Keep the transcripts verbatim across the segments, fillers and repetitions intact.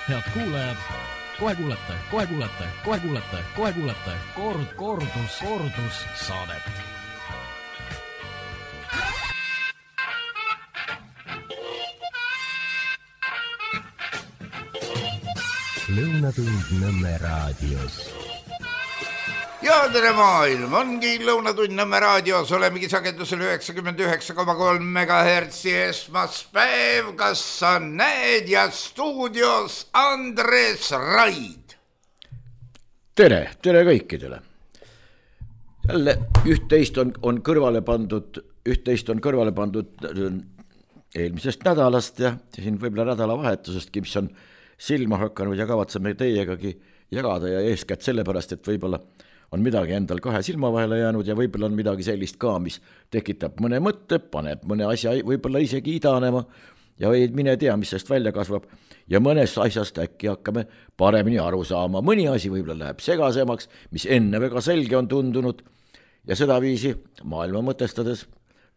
Head kuulajad, kohe kuulete, kohe kuulete, kohe kuulete, kohe kuulete kord, kordus, kordus saadet. Lõunatund Nõmme raadios. Ja tere maailm, ongi Lõunatund Nõmme raadios, olemegi sagedusel üheksakümmend üheksa koma kolm megahertsi esmaspäev, kas sa näed, ja stuudios Andres Raid. Tere, tere kõikidele. Jälle üht-teist on, on kõrvale pandud, üht-teist on kõrvale pandud eelmisest nädalast ja siin võib-olla nädalavahetusestki, mis on silma hakanud ja kavatseme teiegagi jagada ja eeskätt sellepärast, et võib-olla on midagi endal kahe silma vahele jäänud ja võib-olla on midagi sellist ka, mis tekitab mõne mõtte, paneb mõne asja võib-olla isegi idanema ja ei mine tea, mis sellest välja kasvab ja mõnest asjast äkki hakkame paremini aru saama. Mõni asi võib-olla läheb segasemaks, mis enne väga selge on tundunud ja seda viisi maailma mõtestades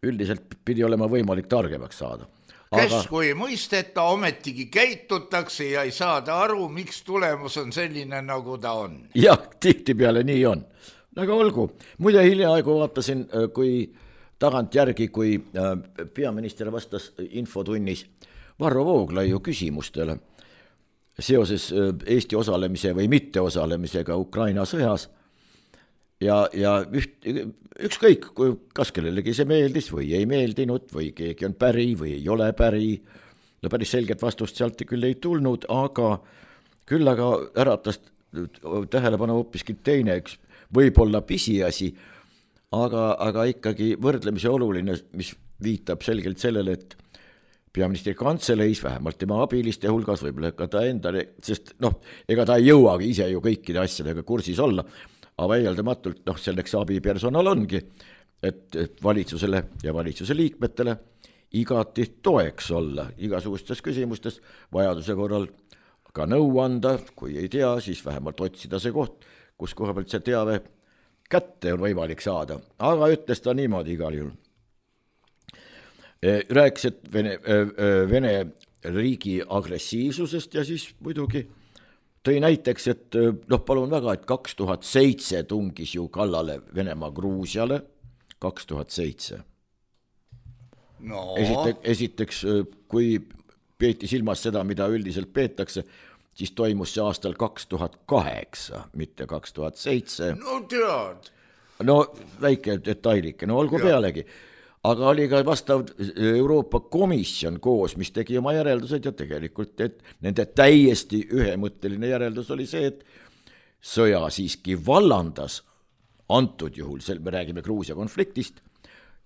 üldiselt pidi olema võimalik targemaks saada. Aga... Kes kui mõisteta, ometigi käitutakse ja ei saada aru, miks tulemus on selline, nagu ta on. Jah, tihti peale nii on. Aga olgu, muide hiljaaegu vaatasin, kui tagant järgi, kui peaminister vastas infotunnis Varro Vooglaiu küsimustele seoses Eesti osalemise või mitte osalemisega Ukraina sõjas. Ja, ja üht, ükskõik, kas kellelegi see meeldis või ei meeldinud või keegi on päri või ei ole päri. No päris selget vastust sealt küll ei tulnud, aga küll aga äratas tähelepanu hoopiski teine, üks võib-olla pisiasi, aga, aga ikkagi võrdlemise oluline, mis viitab selgelt sellele, et peaministri kantseleis, vähemalt tema abiliste hulgas, võib-olla ka ta endale, sest noh, ega ta ei jõuagi ise ju kõikide asjadega kursis olla, aga väieldamatult noh, selleks abipersonal ongi, et, et valitsusele ja valitsuse liikmetele igati toeks olla igasugustes küsimustes, vajaduse korral ka nõu anda, kui ei tea, siis vähemalt otsida see koht, kus koha pealt see teave kätte on võimalik saada. Aga ütles ta niimoodi igal juhul. Rääkis, et Vene, Vene riigi agressiivsusest ja siis muidugi tõi näiteks, et noh, palun väga, et kaks tuhat seitse tungis ju kallale Venemaa Gruusiale, kaks tuhat seitse. No. Esiteks, esiteks, kui peeti silmas seda, mida üldiselt peetakse, siis toimus see aastal kaks tuhat kaheksa, mitte kaks tuhat seitse. No tead. No väike detailike, no olgu ja. Pealegi. Aga oli ka vastav Euroopa Komisjon koos, mis tegi oma järeldused ja tegelikult, et nende täiesti ühemõtteline järeldus oli see, et sõja siiski vallandas, antud juhul, me räägime Gruusia konfliktist,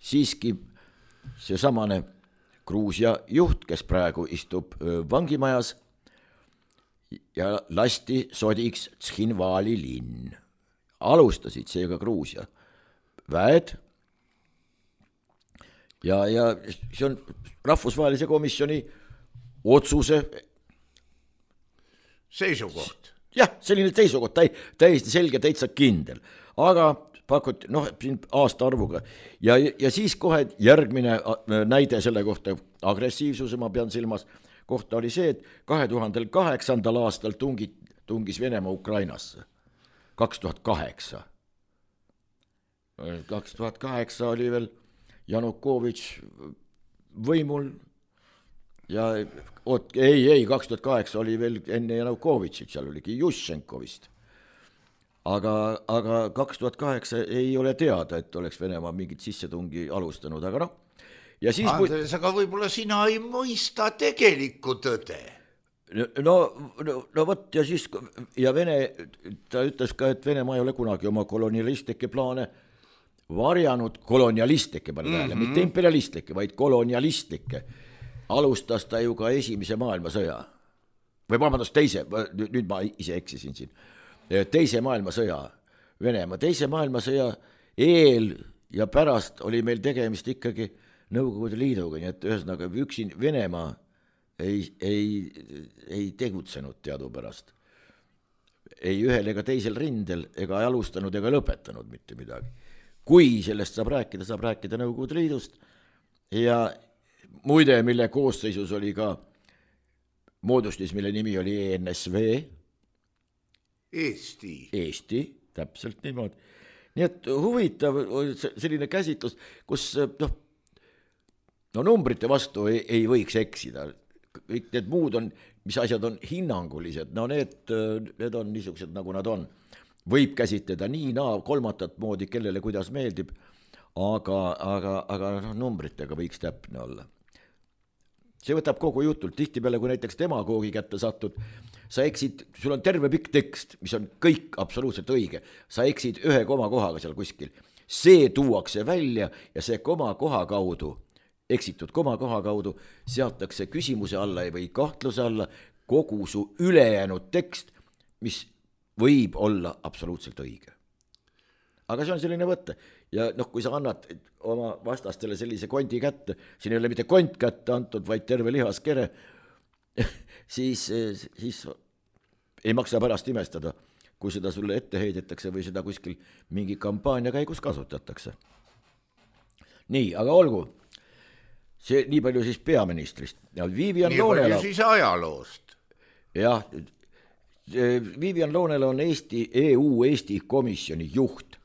siiski see samane Gruusia juht, kes praegu istub vangimajas ja lasti sodiks Tshinvali linn. Alustasid seega Gruusia väed, Ja, ja see on rahvusvahelise komisjoni otsuse seisukoht. Jah, selline seisukoht, täiesti selge, täitsa kindel. Aga pakuti, noh, siin aasta arvuga. Ja, ja siis kohe järgmine näide selle kohta, agressiivsuse ma pean silmas, kohta oli see, et kahe tuhande kaheksandal aastal tungi, tungis Venemaa Ukrainasse. kaks tuhat kaheksa. kaks tuhat kaheksa oli veel Janukovitš võimul ja oot, ei, ei, kaks tuhat kaheksa oli veel enne Janukovitšit, seal oligi Juščenko vist. Aga, aga kaks tuhat kaheksa ei ole teada, et oleks Venemaa mingit sissetungi alustanud, aga noh. Ja siis Andres, aga võib-olla sina ei mõista tegelikku tõde. No, no, no võt, ja siis, ja Vene, ta ütles ka, et Venemaa ei ole kunagi oma kolonialistlikke plaane varjanud kolonialistlikke, mm-hmm. mitte imperialistlikke, vaid kolonialistlikke. Alustas ta ju ka esimese maailmasõja. Või vabandust, teise, nüüd ma ise eksisin siin. Teise maailmasõja, Venemaa. Teise maailmasõja eel ja pärast oli meil tegemist ikkagi Nõukogude Liiduga, nii et ühesõnaga üksin Venemaa ei, ei, ei tegutsenud teadupärast. Ei ühel ega teisel rindel ega alustanud ega lõpetanud mitte midagi. Kui sellest saab rääkida, saab rääkida Nõukogude Liidust ja muide, mille koosseisus oli ka moodustis, mille nimi oli E N S V. Eesti. Eesti, täpselt niimoodi. Nii et huvitav selline käsitlus, kus noh, no numbrite vastu ei, ei võiks eksida. Kõik need muud on, mis asjad on hinnangulised, no need, need on niisugused, nagu nad on. Võib käsitleda nii, naa, kolmatat moodi, kellele kuidas meeldib, aga, aga, aga no, numbritega võiks täpne olla. See võtab kogu jutult, tihti peale, kui näiteks demagoogi kätte satud, sa eksid, sul on terve pikk tekst, mis on kõik absoluutselt õige, sa eksid ühe koma kohaga seal kuskil. See tuuakse välja ja see koma koha kaudu, eksitud koma koha kaudu, seatakse küsimuse alla või kahtluse alla kogu su ülejäänud tekst, mis võib olla absoluutselt õige. Aga see on selline võtte. Ja noh, kui sa annad oma vastastele sellise kondi kätte, siin ei ole mitte kont kätte antud, vaid terve lihaskere, siis, siis ei maksa pärast imestada, kui seda sulle ette heidetakse või seda kuskil mingi kampaania käigus kasutatakse. Nii, aga olgu. See nii palju siis peaministrist. Ja Vivian nii Loonela, palju siis ajaloost. Jah, Vivian Loonela on Eesti, E U Eesti komisjoni juht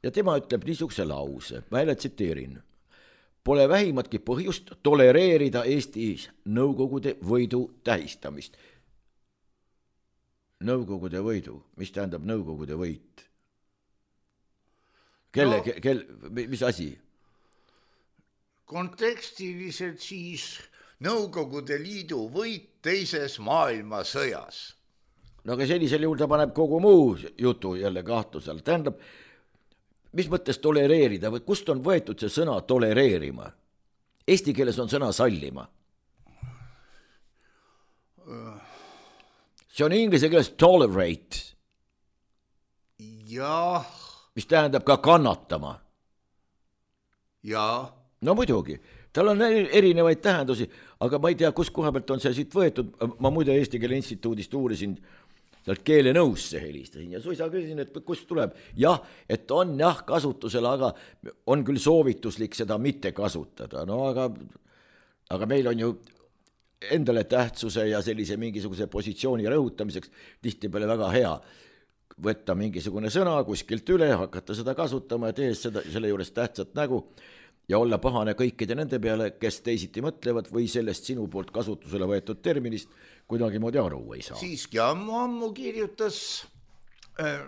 ja tema ütleb niisuguse lause, ma jälle tsiteerin. Pole vähimatki põhjust tolereerida Eestis nõukogude võidu tähistamist. Nõukogude võidu, mis tähendab nõukogude võit? Kelle, no, kel, mis asi? Kontekstiliselt siis Nõukogude Liidu võit teises maailmasõjas. No aga sellisel juhul ta paneb kogu muu jutu jälle kahtlusel. Tähendab, mis mõttes tolereerida või kust on võetud see sõna tolereerima? Eesti keeles on sõna sallima. See on inglise keeles tolerate. Jah. Mis tähendab ka kannatama. Jaa. No muidugi, tal on erinevaid tähendusi, aga ma ei tea, kus koha pealt on see siit võetud. Ma muide Eesti Keele Instituudist uurisin, sealt keele nõusse helistasin ja suisa küsisin, et kust tuleb. Jah, et on jah kasutusel, aga on küll soovituslik seda mitte kasutada. No aga, aga meil on ju endale tähtsuse ja sellise mingisuguse positsiooni rõhutamiseks tihti peale väga hea võtta mingisugune sõna kuskilt üle, hakata seda kasutama ja tehes seda, selle juures tähtsat nägu ja olla pahane kõikide nende peale, kes teisiti mõtlevad või sellest sinu poolt kasutusele võetud terminist kuidagi moodi aru ei saa. Siiski ammu ammu kirjutas äh,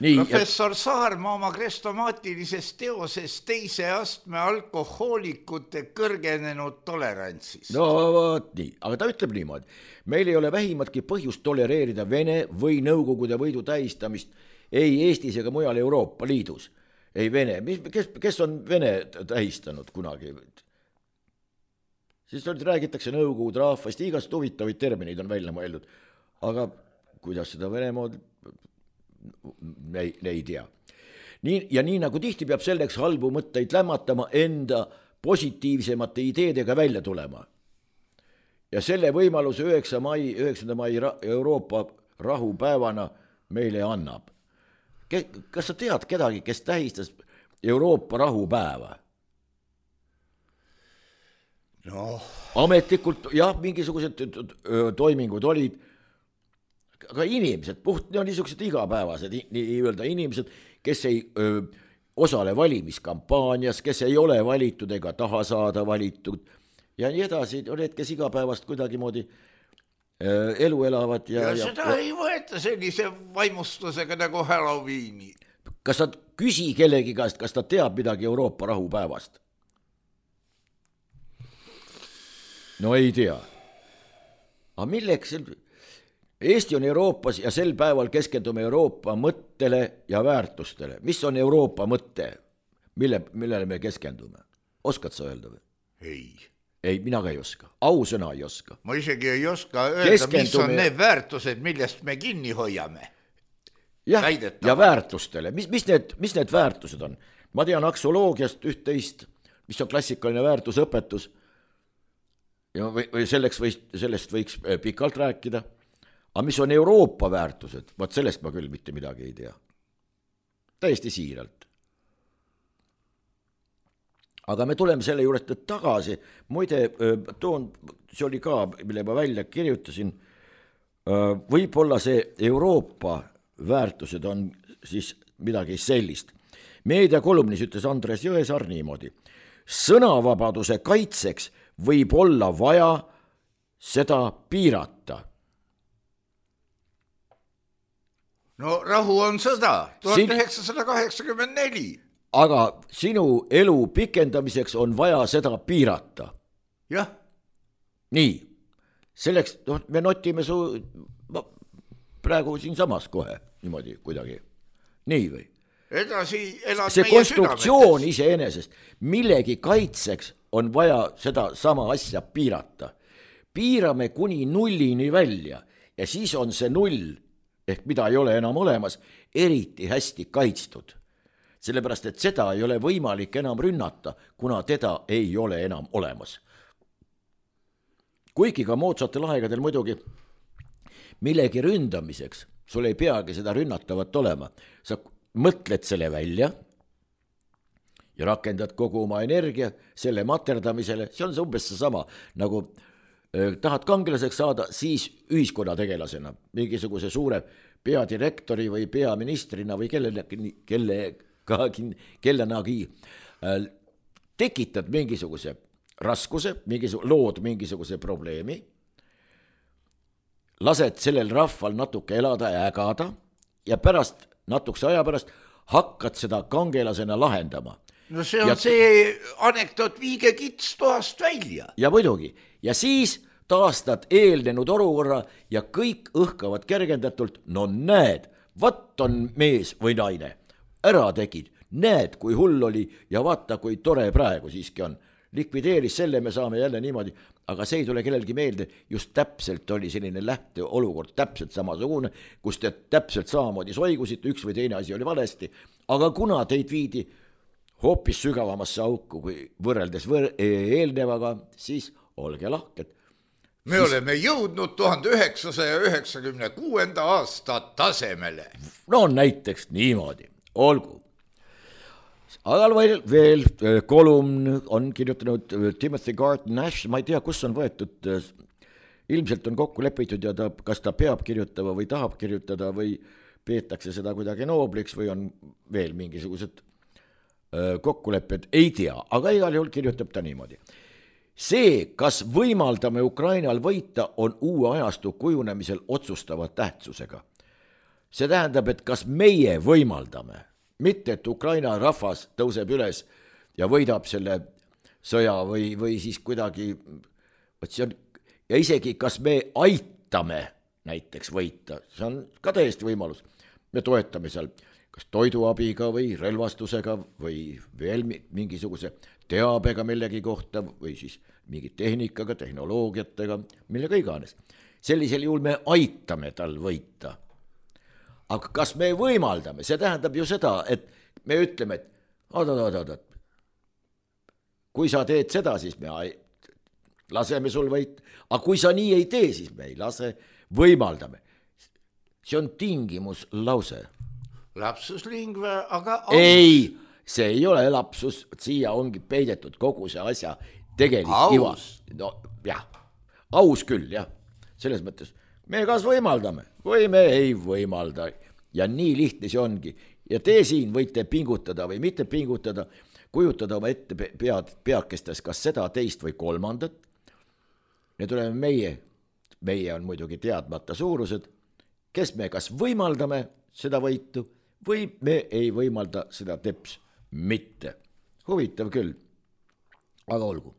Nii, professor ja... Saarma oma krestomaatilises teoses teise astme alkohoolikute kõrgenenud tolerantsis. No vaat nii, aga ta ütleb niimoodi. Meil ei ole vähimatki põhjust tolereerida Vene või Nõukogude võidu tähistamist ei Eestis ega mujal Euroopa Liidus. Ei Vene, kes, kes on Vene tähistanud kunagi? Siis räägitakse Nõukogude rahvast, igast huvitavaid termineid on välja mõeldud. Aga kuidas seda Venemaad ei, ei tea. Nii, ja nii nagu tihti peab selleks halbu mõtteid lämmatama enda positiivsemate ideedega välja tulema. Ja selle võimaluse üheksanda mai, üheksanda mai Euroopa rahupäevana meile annab. Kas sa tead kedagi, kes tähistas Euroopa rahupäeva? No. Ametlikult, jah, mingisugused toimingud olid, aga inimesed, puht no, niisugused igapäevased nii öelda inimesed, kes ei öö, osale valimiskampaanias, kes ei ole valitud ega taha saada valitud ja nii edasi, need, kes igapäevast kuidagi moodi elu elavad. Ja, ja seda ja, ei võeta sellise vaimustusega nagu Halloweeni. Kas sa küsi kellegi käest, kas ta teab midagi Euroopa rahupäevast? No ei tea. Aga milleks? Eesti on Euroopas ja sel päeval keskendume Euroopa mõttele ja väärtustele. Mis on Euroopa mõtte? Mille, millele me keskendume? Oskad sa öelda või? Ei. Ei, mina ka ei oska. Ausõna ei oska. Ma isegi ei oska öelda, Keskendume... mis on need väärtused, millest me kinni hoiame. Jah, Väidetama. Ja väärtustele. Mis, mis, need, mis need väärtused on? Ma tean aksoloogiast üht-teist, mis on klassikaline väärtusõpetus. Ja või, või selleks võiks, sellest võiks pikalt rääkida. Aga mis on Euroopa väärtused? Vaat sellest ma küll mitte midagi ei tea. Täiesti siiralt. aga me tuleme selle juurest tagasi, muide toon, see oli ka, mille ma välja kirjutasin, võib-olla see Euroopa väärtused on siis midagi sellist. Meediakolumnis ütles Andres Jõesaar niimoodi. Sõnavabaduse kaitseks võib olla vaja seda piirata. No rahu on sõda, tuhat üheksasada kaheksakümmend neli. Aga sinu elu pikendamiseks on vaja seda piirata. Jah. Nii, selleks no, me notime su praegu siin samas kohe, niimoodi kuidagi. Nii või? Edasi elad see meie konstruktsioon südametes. iseenesest, millegi kaitseks on vaja seda sama asja piirata. Piirame kuni nullini välja ja siis on see null, ehk mida ei ole enam olemas, eriti hästi kaitstud. Sellepärast, et seda ei ole võimalik enam rünnata, kuna teda ei ole enam olemas. Kuigi ka moodsatel aegadel muidugi millegi ründamiseks, sul ei peagi seda rünnatavat olema. Sa mõtled selle välja ja rakendad kogu oma energia selle materdamisele, see on see umbes see sama, nagu eh, tahad kangelaseks saada, siis ühiskonnategelasena, mingisuguse suure peadirektori või peaministrina või kellenagi, kellegagi, kellenagi äh, tekitad mingisuguse raskuse, mingisuguse, lood mingisuguse probleemi, lased sellel rahval natuke elada ja ägada ja pärast, natukese aja pärast hakkad seda kangelasena lahendama. No see on ja, see anekdoot viige kits toast välja. Ja muidugi. Ja siis taastad eelnenud olukorra ja kõik õhkavad kergendatult, no näed, vat on mees või naine. Ära tegid, näed, kui hull oli ja vaata, kui tore praegu siiski on. Likvideeris selle, me saame jälle niimoodi, aga see ei tule kellelgi meelde, just täpselt oli selline lähte olukord, täpselt samasugune, kus te täpselt samamoodi soigusite, üks või teine asi oli valesti, aga kuna teid viidi hoopis sügavamasse auku, kui võrreldes võr- eelnevaga, siis olge lahked. Me siis... oleme jõudnud tuhande üheksasaja üheksakümne kuuenda aasta tasemele. No näiteks niimoodi, olgu. Aga veel, veel kolumn on kirjutanud Timothy Garton Nash, ma ei tea, kus on võetud, ilmselt on kokku lepitud ja ta, kas ta peab kirjutama või tahab kirjutada või peetakse seda kuidagi noobliks või on veel mingisugused kokkulepped, ei tea, aga igal juhul kirjutab ta niimoodi. See, kas võimaldame Ukrainal võita, on uue ajastu kujunemisel otsustava tähtsusega. See tähendab, et kas meie võimaldame, mitte et Ukraina rahvas tõuseb üles ja võidab selle sõja või, või siis kuidagi, see on, ja isegi kas me aitame näiteks võita, see on ka täiesti võimalus. Me toetame seal kas toiduabiga või relvastusega või veel mingisuguse teabega millegi kohta või siis mingi tehnikaga, tehnoloogiatega, millega iganes. Sellisel juhul me aitame tal võita. Aga kas me võimaldame, see tähendab ju seda, et me ütleme, et oot, oot, oot, oot. Kui sa teed seda, siis me laseme sul võita, aga kui sa nii ei tee, siis me ei lase, võimaldame. See on tingimus lause. Lapsus lingve, aga aus. Ei, see ei ole lapsus, siia ongi peidetud kogu see asja tegelik iva. No jah, aus küll, jah, selles mõttes. Me kas võimaldame või me ei võimalda ja nii lihtne see ongi. Ja te siin võite pingutada või mitte pingutada, kujutada oma ette pead, peakestes kas seda, teist või kolmandat. Need oleme meie, meie on muidugi teadmata suurused, kes me kas võimaldame seda võitu või me ei võimalda seda teps mitte. Huvitav küll, aga olgu.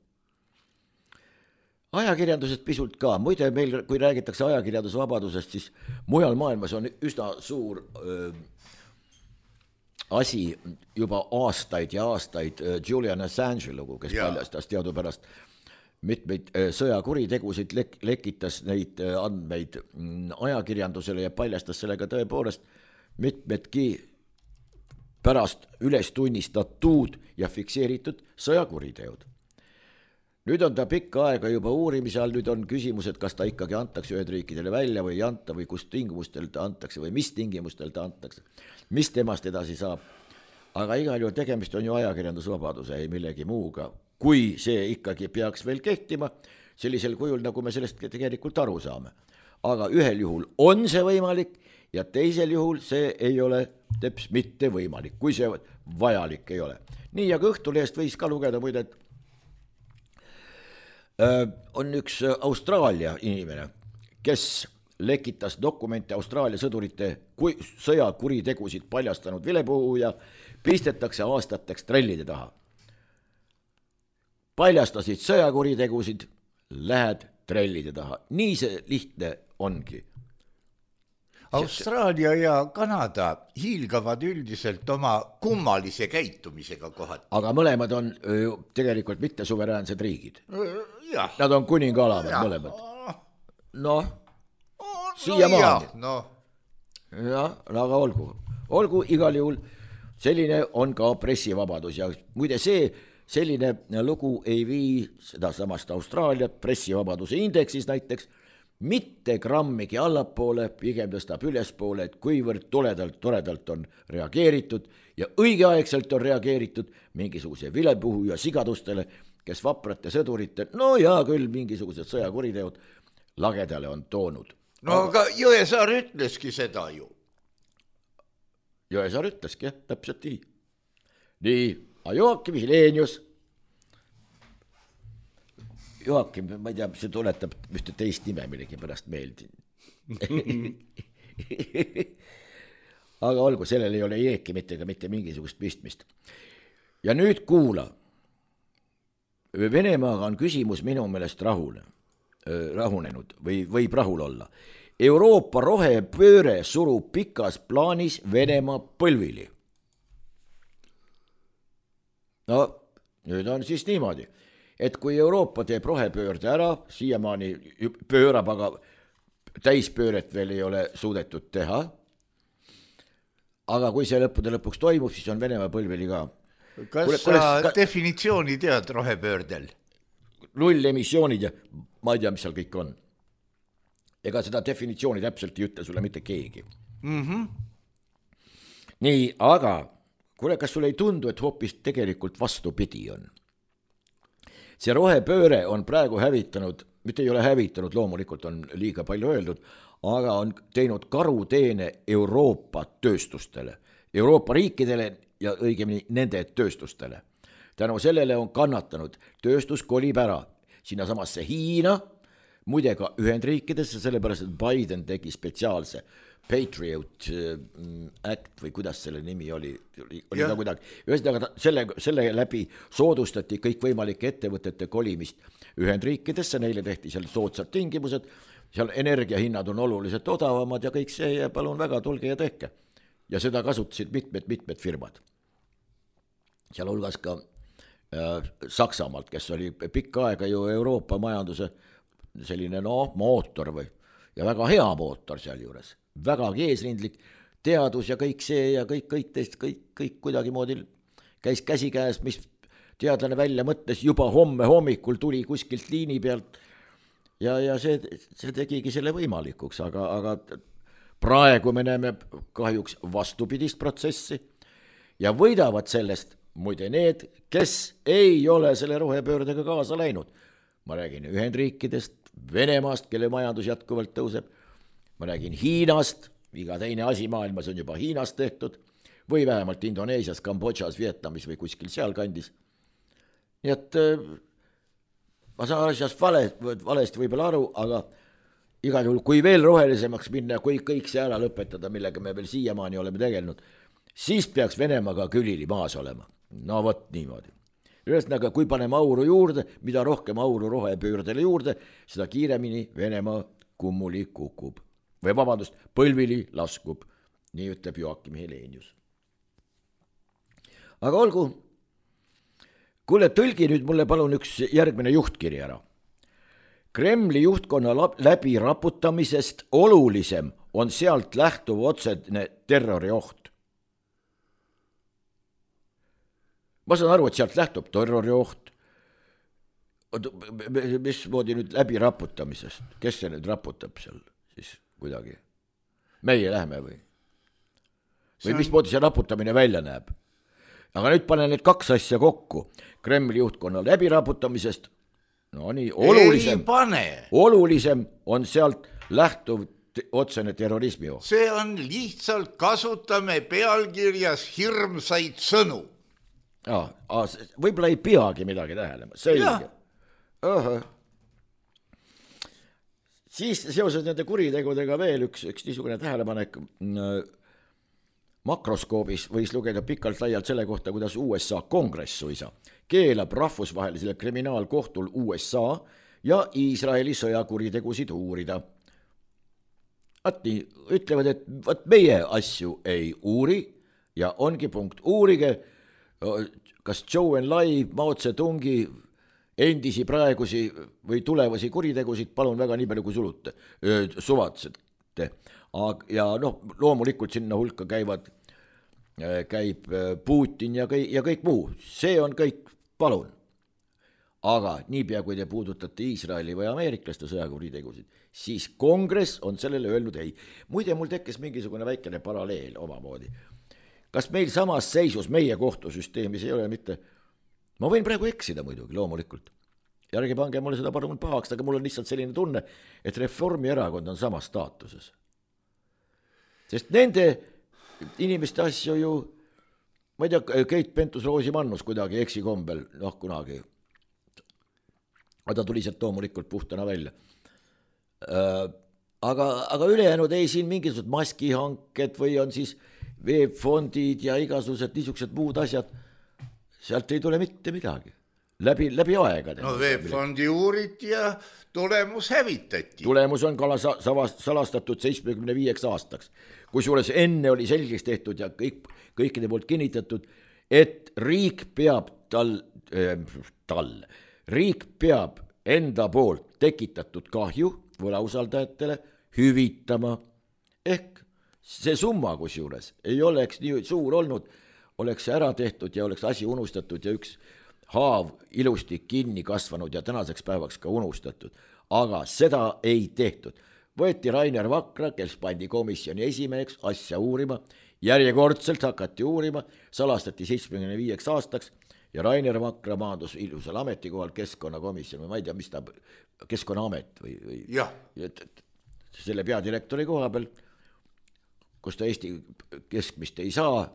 Ajakirjandusest pisut ka, muide meil, kui räägitakse ajakirjandusvabadusest, siis mujal maailmas on üsna suur öö, asi juba aastaid ja aastaid öö, Julian Assange lugu, kes ja. paljastas teadupärast mitmeid öö, sõjakuritegusid, lek- lekitas neid öö, andmeid m, ajakirjandusele ja paljastas sellega tõepoolest mitmedki pärast üles tunnistatud ja fikseeritud sõjakuriteod. Nüüd on ta pikka aega juba uurimise all, nüüd on küsimus, et kas ta ikkagi antakse Ühendriikidele välja või ei anta või kus tingimustel ta antakse või mis tingimustel ta antakse, mis temast edasi saab. aga igal juhul tegemist on ju ajakirjandusvabaduse ei millegi muuga, kui see ikkagi peaks veel kehtima sellisel kujul, nagu me sellest tegelikult aru saame. Aga ühel juhul on see võimalik ja teisel juhul see ei ole teps mitte võimalik, kui see vajalik ei ole. Nii, ja Õhtulehest võis ka lugeda muide, et äh, on üks Austraalia inimene, kes lekitas dokumente Austraalia sõdurite kui, sõjakuritegusid paljastanud vilepuhuja, pistetakse aastateks trellide taha. Paljastasid sõjakuritegusid, lähed trellide taha. Nii see lihtne ongi. Austraalia ja Kanada hiilgavad üldiselt oma kummalise käitumisega kohati. Aga mõlemad on ju tegelikult mitte suveräänsed riigid. Ja. Nad on kuningalavad mõlemad. Noh, no, siia maani. No. Ja, aga olgu. Olgu igal juhul selline on ka pressivabadus ja muide see selline lugu ei vii seda samast Austraalia pressivabaduse indeksis näiteks mitte grammigi allapoole, pigem tõstab ülespoole, et kuivõrd toledalt, toredalt on reageeritud ja õigeaegselt on reageeritud mingisuguse vilepuhu ja sigadustele, kes vaprate sõdurite, no ja küll mingisugused sõjakuriteod lagedale on toonud. No aga, aga Jõesaar ütleski seda ju. Jõesaar ütleski, jah, täpselt nii. Nii, Joakim Hilenius. Joakim, ma ei tea, see tuletab ühte teist nime millegi pärast meeldi. Aga olgu, sellel ei ole jeeki mitte, mitte mingisugust pistmist. Ja nüüd kuula. Venemaaga on küsimus minu meelest rahune, rahunenud või võib rahul olla. Euroopa rohepööre surub pikas plaanis Venemaa põlvili. No, nüüd on siis niimoodi, et kui Euroopa teeb rohepöörde ära, siiamaani pöörab, aga täispööret veel ei ole suudetud teha, aga kui see lõppude lõpuks toimub, siis on Venemaa põlvili ka. Kas kule, kule, sa ka... definitsiooni tead rohepöördel? Null emissioonid ja ma ei tea, mis seal kõik on. Ega seda definitsiooni täpselt ei ütle sulle mitte keegi. Mm-hmm. Nii, aga kuule, kas sulle ei tundu, et hoopis tegelikult vastupidi on? See rohepööre on praegu hävitanud, mitte ei ole hävitanud, loomulikult on liiga palju öeldud, aga on teinud karuteene Euroopa tööstustele, Euroopa riikidele ja õigemini nende tööstustele. Tänu sellele on kannatanud, tööstus kolib ära sinna samasse Hiina, muide ka Ühendriikidesse, sellepärast, et Biden tegi spetsiaalse Patriot Act või kuidas selle nimi oli, oli ta kuidagi. Ühesõnaga selle, selle läbi soodustati kõik võimalike ettevõtete kolimist Ühendriikidesse, neile tehti seal soodsad tingimused, seal energiahinnad on oluliselt odavamad ja kõik see ja palun väga, tulge ja tehke. Ja seda kasutasid mitmed-mitmed firmad. Seal hulgas ka äh, Saksamaalt, kes oli pikka aega ju Euroopa majanduse selline no, mootor või, ja väga hea mootor seal juures, väga eesrindlik teadus ja kõik see ja kõik, kõik teist, kõik, kõik kuidagi moodi käis käsi käes, mis teadlane välja mõtles, juba homme hommikul tuli kuskilt liini pealt ja, ja see, see tegigi selle võimalikuks, aga, aga praegu me näeme kahjuks vastupidist protsessi ja võidavad sellest muide need, kes ei ole selle rohepöördega kaasa läinud. Ma räägin Ühendriikidest, Venemaast, kelle majandus jätkuvalt tõuseb. Ma räägin Hiinast, iga teine asi maailmas on juba Hiinast tehtud, või vähemalt Indoneesias, Kambodžas, Vietnamis või kuskil seal kandis. Nii et ma saan asjast vale, valesti võib-olla aru, aga igal juhul, kui veel rohelisemaks minna, kui kõik see ära lõpetada, millega me veel siiamaani oleme tegelenud, siis peaks Venemaaga külili maas olema. No võt niimoodi. Ühesõnaga, kui paneme auru juurde, mida rohkem auru rohepöördele juurde, seda kiiremini Venemaa kummuli kukub. Või vabandust, põlvili laskub, nii ütleb Joakim Hilenius. Aga olgu, kuule, tõlgi nüüd mulle palun üks järgmine juhtkiri ära. Kremli juhtkonna läbi raputamisest olulisem on sealt lähtuv otsene terrorioht. Ma saan aru, et sealt lähtub terrorioht. Mis moodi nüüd läbi raputamisest? Kes see nüüd raputab seal siis kuidagi? Meie lähme või? Või on... mis moodi see raputamine välja näeb? aga nüüd panen need kaks asja kokku. Kremli juhtkonna läbiraputamisest, no nii, olulisem, olulisem on sealt lähtuv otsene terrorismi oht. See on lihtsalt kasutame pealkirjas hirmsaid sõnu. Ja, võib-olla ei peagi midagi tähelema, selge. Aha. Siis seoses nende kuritegudega veel üks, üks niisugune tähelepanek. Makroskoobis võis lugeda pikalt laialt selle kohta, kuidas U S A kongress suisa keelab rahvusvahelisele kriminaalkohtul U S A ja Iisraeli sõjakuritegusid uurida. Vaat nii, ütlevad, et vaat meie asju ei uuri ja ongi punkt. Uurige, kas Zhou Enlai, Mao Zedongi endisi praegusi või tulevasi kuritegusid, palun väga nii palju kui sulute, suvatsete. Ja noh, loomulikult sinna hulka käivad, käib Putin ja kõik, ja kõik muu. See on kõik, palun. Aga niipea, kui te puudutate Iisraeli või ameeriklaste sõjakuritegusid, siis kongress on sellele öelnud ei. Muide, mul tekkis mingisugune väikene paralleel omamoodi. Kas meil samas seisus meie kohtusüsteemis ei ole mitte... Ma võin praegu eksida muidugi, loomulikult. Järgi pange mulle seda palun pahaks, aga mul on lihtsalt selline tunne, et Reformierakond on samas staatuses. Sest nende inimeste asju ju, ma ei tea, Keit Pentus-Rosimannus kuidagi eksikombel, noh kunagi, ta tuli sealt loomulikult puhtana välja. Aga, aga ülejäänud ei siin mingisugused maskihanked või on siis veebfondid ja igasugused niisugused muud asjad, sealt ei tule mitte midagi. Läbi, läbi aegade. No veebfondi uuriti ja tulemus hävitati. Tulemus on kala salastatud seitsmekümne viieks aastaks. Kusjuures enne oli selgeks tehtud ja kõik, kõikide poolt kinnitatud, et riik peab tal, äh, tal, riik peab enda poolt tekitatud kahju võlausaldajatele hüvitama. Ehk see summa kusjuures ei oleks nii suur olnud, oleks ära tehtud ja oleks asi unustatud ja üks haav ilusti kinni kasvanud ja tänaseks päevaks ka unustatud. Aga seda ei tehtud. Võeti Rainer Vakra, kes pandi komisjoni esimeheks asja uurima, järjekordselt hakati uurima, salastati seitsmekümne viieks aastaks ja Rainer Vakra maandus ilusal ametikohal keskkonnakomisjon, ma ei tea, mis ta, keskkonnaamet või, või ja. selle peadirektori koha peal, kus ta Eesti keskmist ei saa,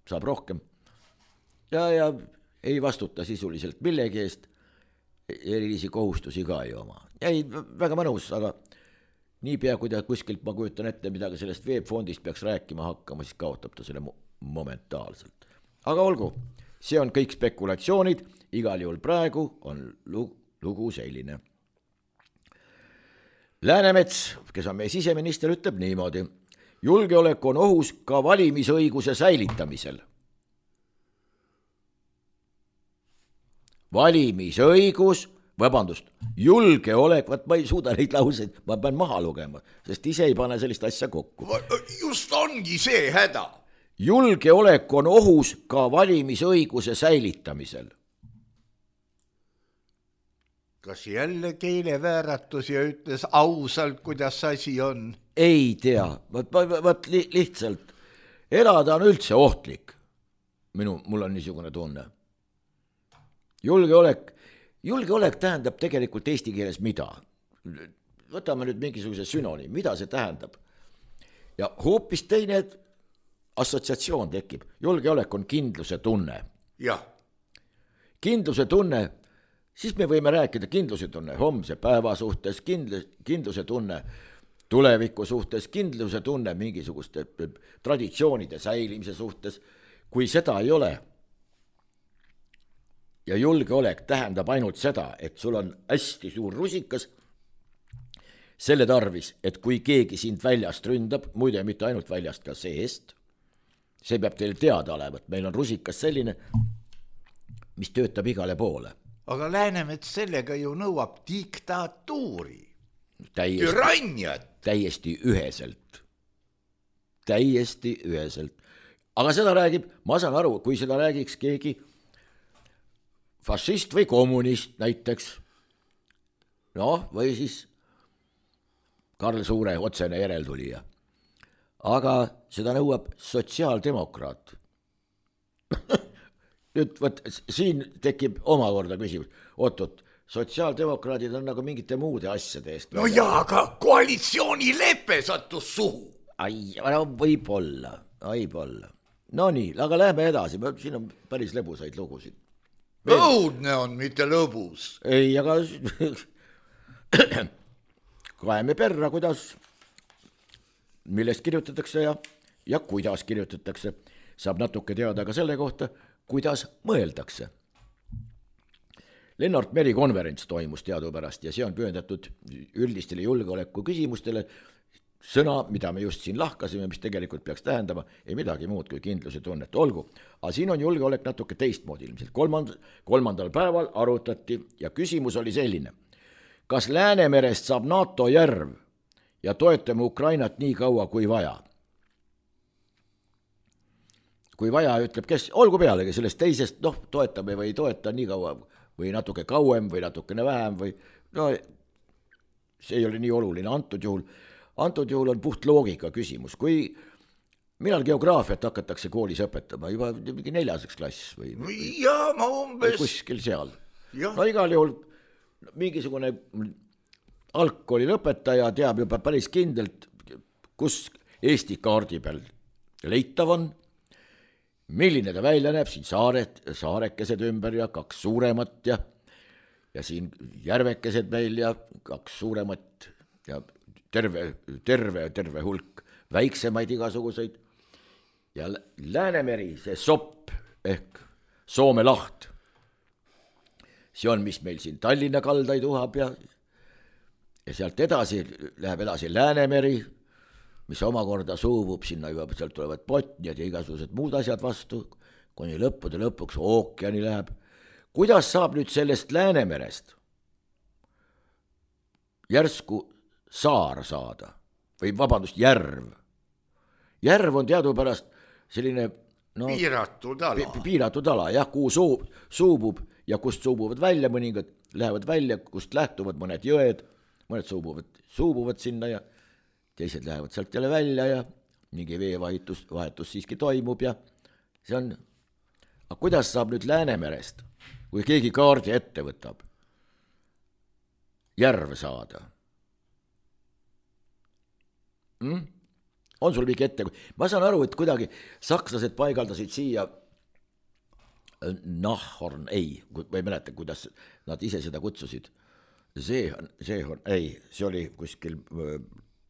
saab rohkem ja, ja ei vastuta sisuliselt millegi eest, erilisi kohustusi ka ei oma. Ei, väga mõnus, aga niipea, kui ta kuskilt, ma kujutan ette, midagi sellest veebfondist peaks rääkima hakkama, siis kaotab ta selle momentaalselt. Aga olgu, see on kõik spekulatsioonid, igal juhul praegu on lugu selline. Läänemets, kes on meie siseminister, ütleb niimoodi. Julgeolek on ohus ka valimisõiguse säilitamisel. Valimisõigus, vabandust, julgeolek, vaat ma ei suuda neid lauseid, ma pean maha lugema, sest ise ei pane sellist asja kokku. Just ongi see häda. Julgeolek on ohus ka valimisõiguse säilitamisel. Kas jälle keelevääratus ja ütles ausalt, kuidas asi on? Ei tea, vaat li, lihtsalt elada on üldse ohtlik. Minu, mul on niisugune tunne. Julgeolek, julgeolek tähendab tegelikult eesti keeles mida? Võtame nüüd mingisuguse sünoniim, mida see tähendab? Ja hoopis teine assotsiatsioon tekib. Julgeolek on kindluse tunne. Jah. Kindluse tunne, siis me võime rääkida kindluse tunne homse päeva suhtes, kindluse tunne tuleviku suhtes, kindluse tunne mingisuguste traditsioonide säilimise suhtes. Kui seda ei ole, ja julgeolek tähendab ainult seda, et sul on hästi suur rusikas selle tarvis, et kui keegi sind väljast ründab, muide mitte ainult väljast ka seest, see peab teil teada olema, et meil on rusikas selline, mis töötab igale poole. Aga Läänemets sellega ju nõuab diktatuuri, täiesti, türanniat. Täiesti üheselt. Täiesti üheselt. Aga seda räägib, ma saan aru, kui seda räägiks keegi fašist või kommunist näiteks, noh, või siis Karl Suure otsene järeltulija. Aga seda nõuab sotsiaaldemokraat. nüüd võt, siin tekib omakorda küsimus, oot-oot, sotsiaaldemokraadid on nagu mingite muude asjade eest. no jaa, aga koalitsioonilepe sattus suhu. ai, no võib-olla, võib-olla. No nii, aga lähme edasi, siin on päris lõbusaid lugusid. õudne on, mitte lõbus. ei, aga kaeme perra, kuidas, millest kirjutatakse ja, ja kuidas kirjutatakse. Saab natuke teada ka selle kohta, kuidas mõeldakse. Lennart Meri konverents toimus teadupärast ja see on pühendatud üldistele julgeoleku küsimustele. Sõna, mida me just siin lahkasime, mis tegelikult peaks tähendama, ei midagi muud kui kindluse tunnet. Olgu, aga siin on julgeolek natuke teistmoodi ilmselt. Kolmand, kolmandal päeval arutati ja küsimus oli selline. Kas Läänemerest saab NATO järv ja toetame Ukrainat nii kaua kui vaja? Kui vaja, ütleb kes, olgu pealegi sellest teisest, noh, toetame või ei toeta nii kaua või natuke kauem või natukene vähem või no see ei ole nii oluline antud juhul. Antud juhul on puht loogika küsimus. Kui millal geograafiat hakatakse koolis õpetama, juba mingi neljaseks klass või, või, ja, ma umbes... või kuskil seal. Ja. No igal juhul mingisugune algkooli lõpetaja teab juba päris kindlalt, kus Eesti kaardi peal leitav on, milline ta välja näeb, siin saared, saarekesed ümber ja kaks suuremat ja, ja siin järvekesed meil ja kaks suuremat ja terve, terve, terve hulk väiksemaid igasuguseid ja Läänemeri, see sopp ehk Soome laht, see on, mis meil siin Tallinna kaldaid uhab ja, ja sealt edasi läheb edasi Läänemeri, mis omakorda suubub sinna juba, sealt tulevad Botniad ja igasugused muud asjad vastu, kuni lõppude lõpuks ookeani läheb. Kuidas saab nüüd sellest Läänemerest järsku saar saada või vabandust, järv? Järv on teadupärast selline no, piiratud ala, pi, piiratud ala jah, kuhu suu, suubub ja kust suubuvad välja mõningad, lähevad välja, kust lähtuvad mõned jõed, mõned suubuvad, suubuvad sinna ja teised lähevad sealt jälle välja ja mingi veevahetus vahetus siiski toimub ja see on, aga kuidas saab nüüd Läänemerest, kui keegi kaardi ette võtab, järv saada? Hmm? On sul mingi ette? Ma saan aru, et kuidagi sakslased paigaldasid siia Nahhorn, ei, ma ei mäleta, kuidas nad ise seda kutsusid. Seehorn, Seehorn, ei, see oli kuskil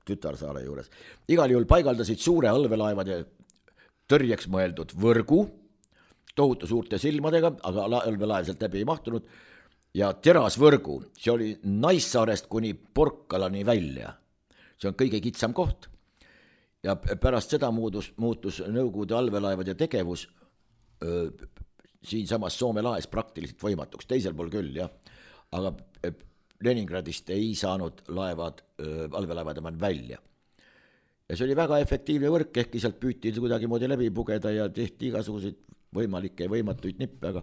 Tütarsaare juures. Igal juhul paigaldasid suure allveelaevade tõrjeks mõeldud võrgu, tohutu suurte silmadega, aga allveelaev sealt läbi ei mahtunud, ja terasvõrgu, see oli Naissaarest kuni Porkalani välja. See on kõige kitsam koht. Ja pärast seda muutus, muutus Nõukogude allveelaevade tegevus öö, siin samas Soome laes praktiliselt võimatuks, teisel pool küll, jah. Aga Leningradist ei saanud laevad, allveelaevad eman välja. Ja see oli väga efektiivne võrk, ehkki sealt püüti kuidagi moodi läbi pugeda ja tehti igasuguseid võimalikke ja võimatuid nippe, aga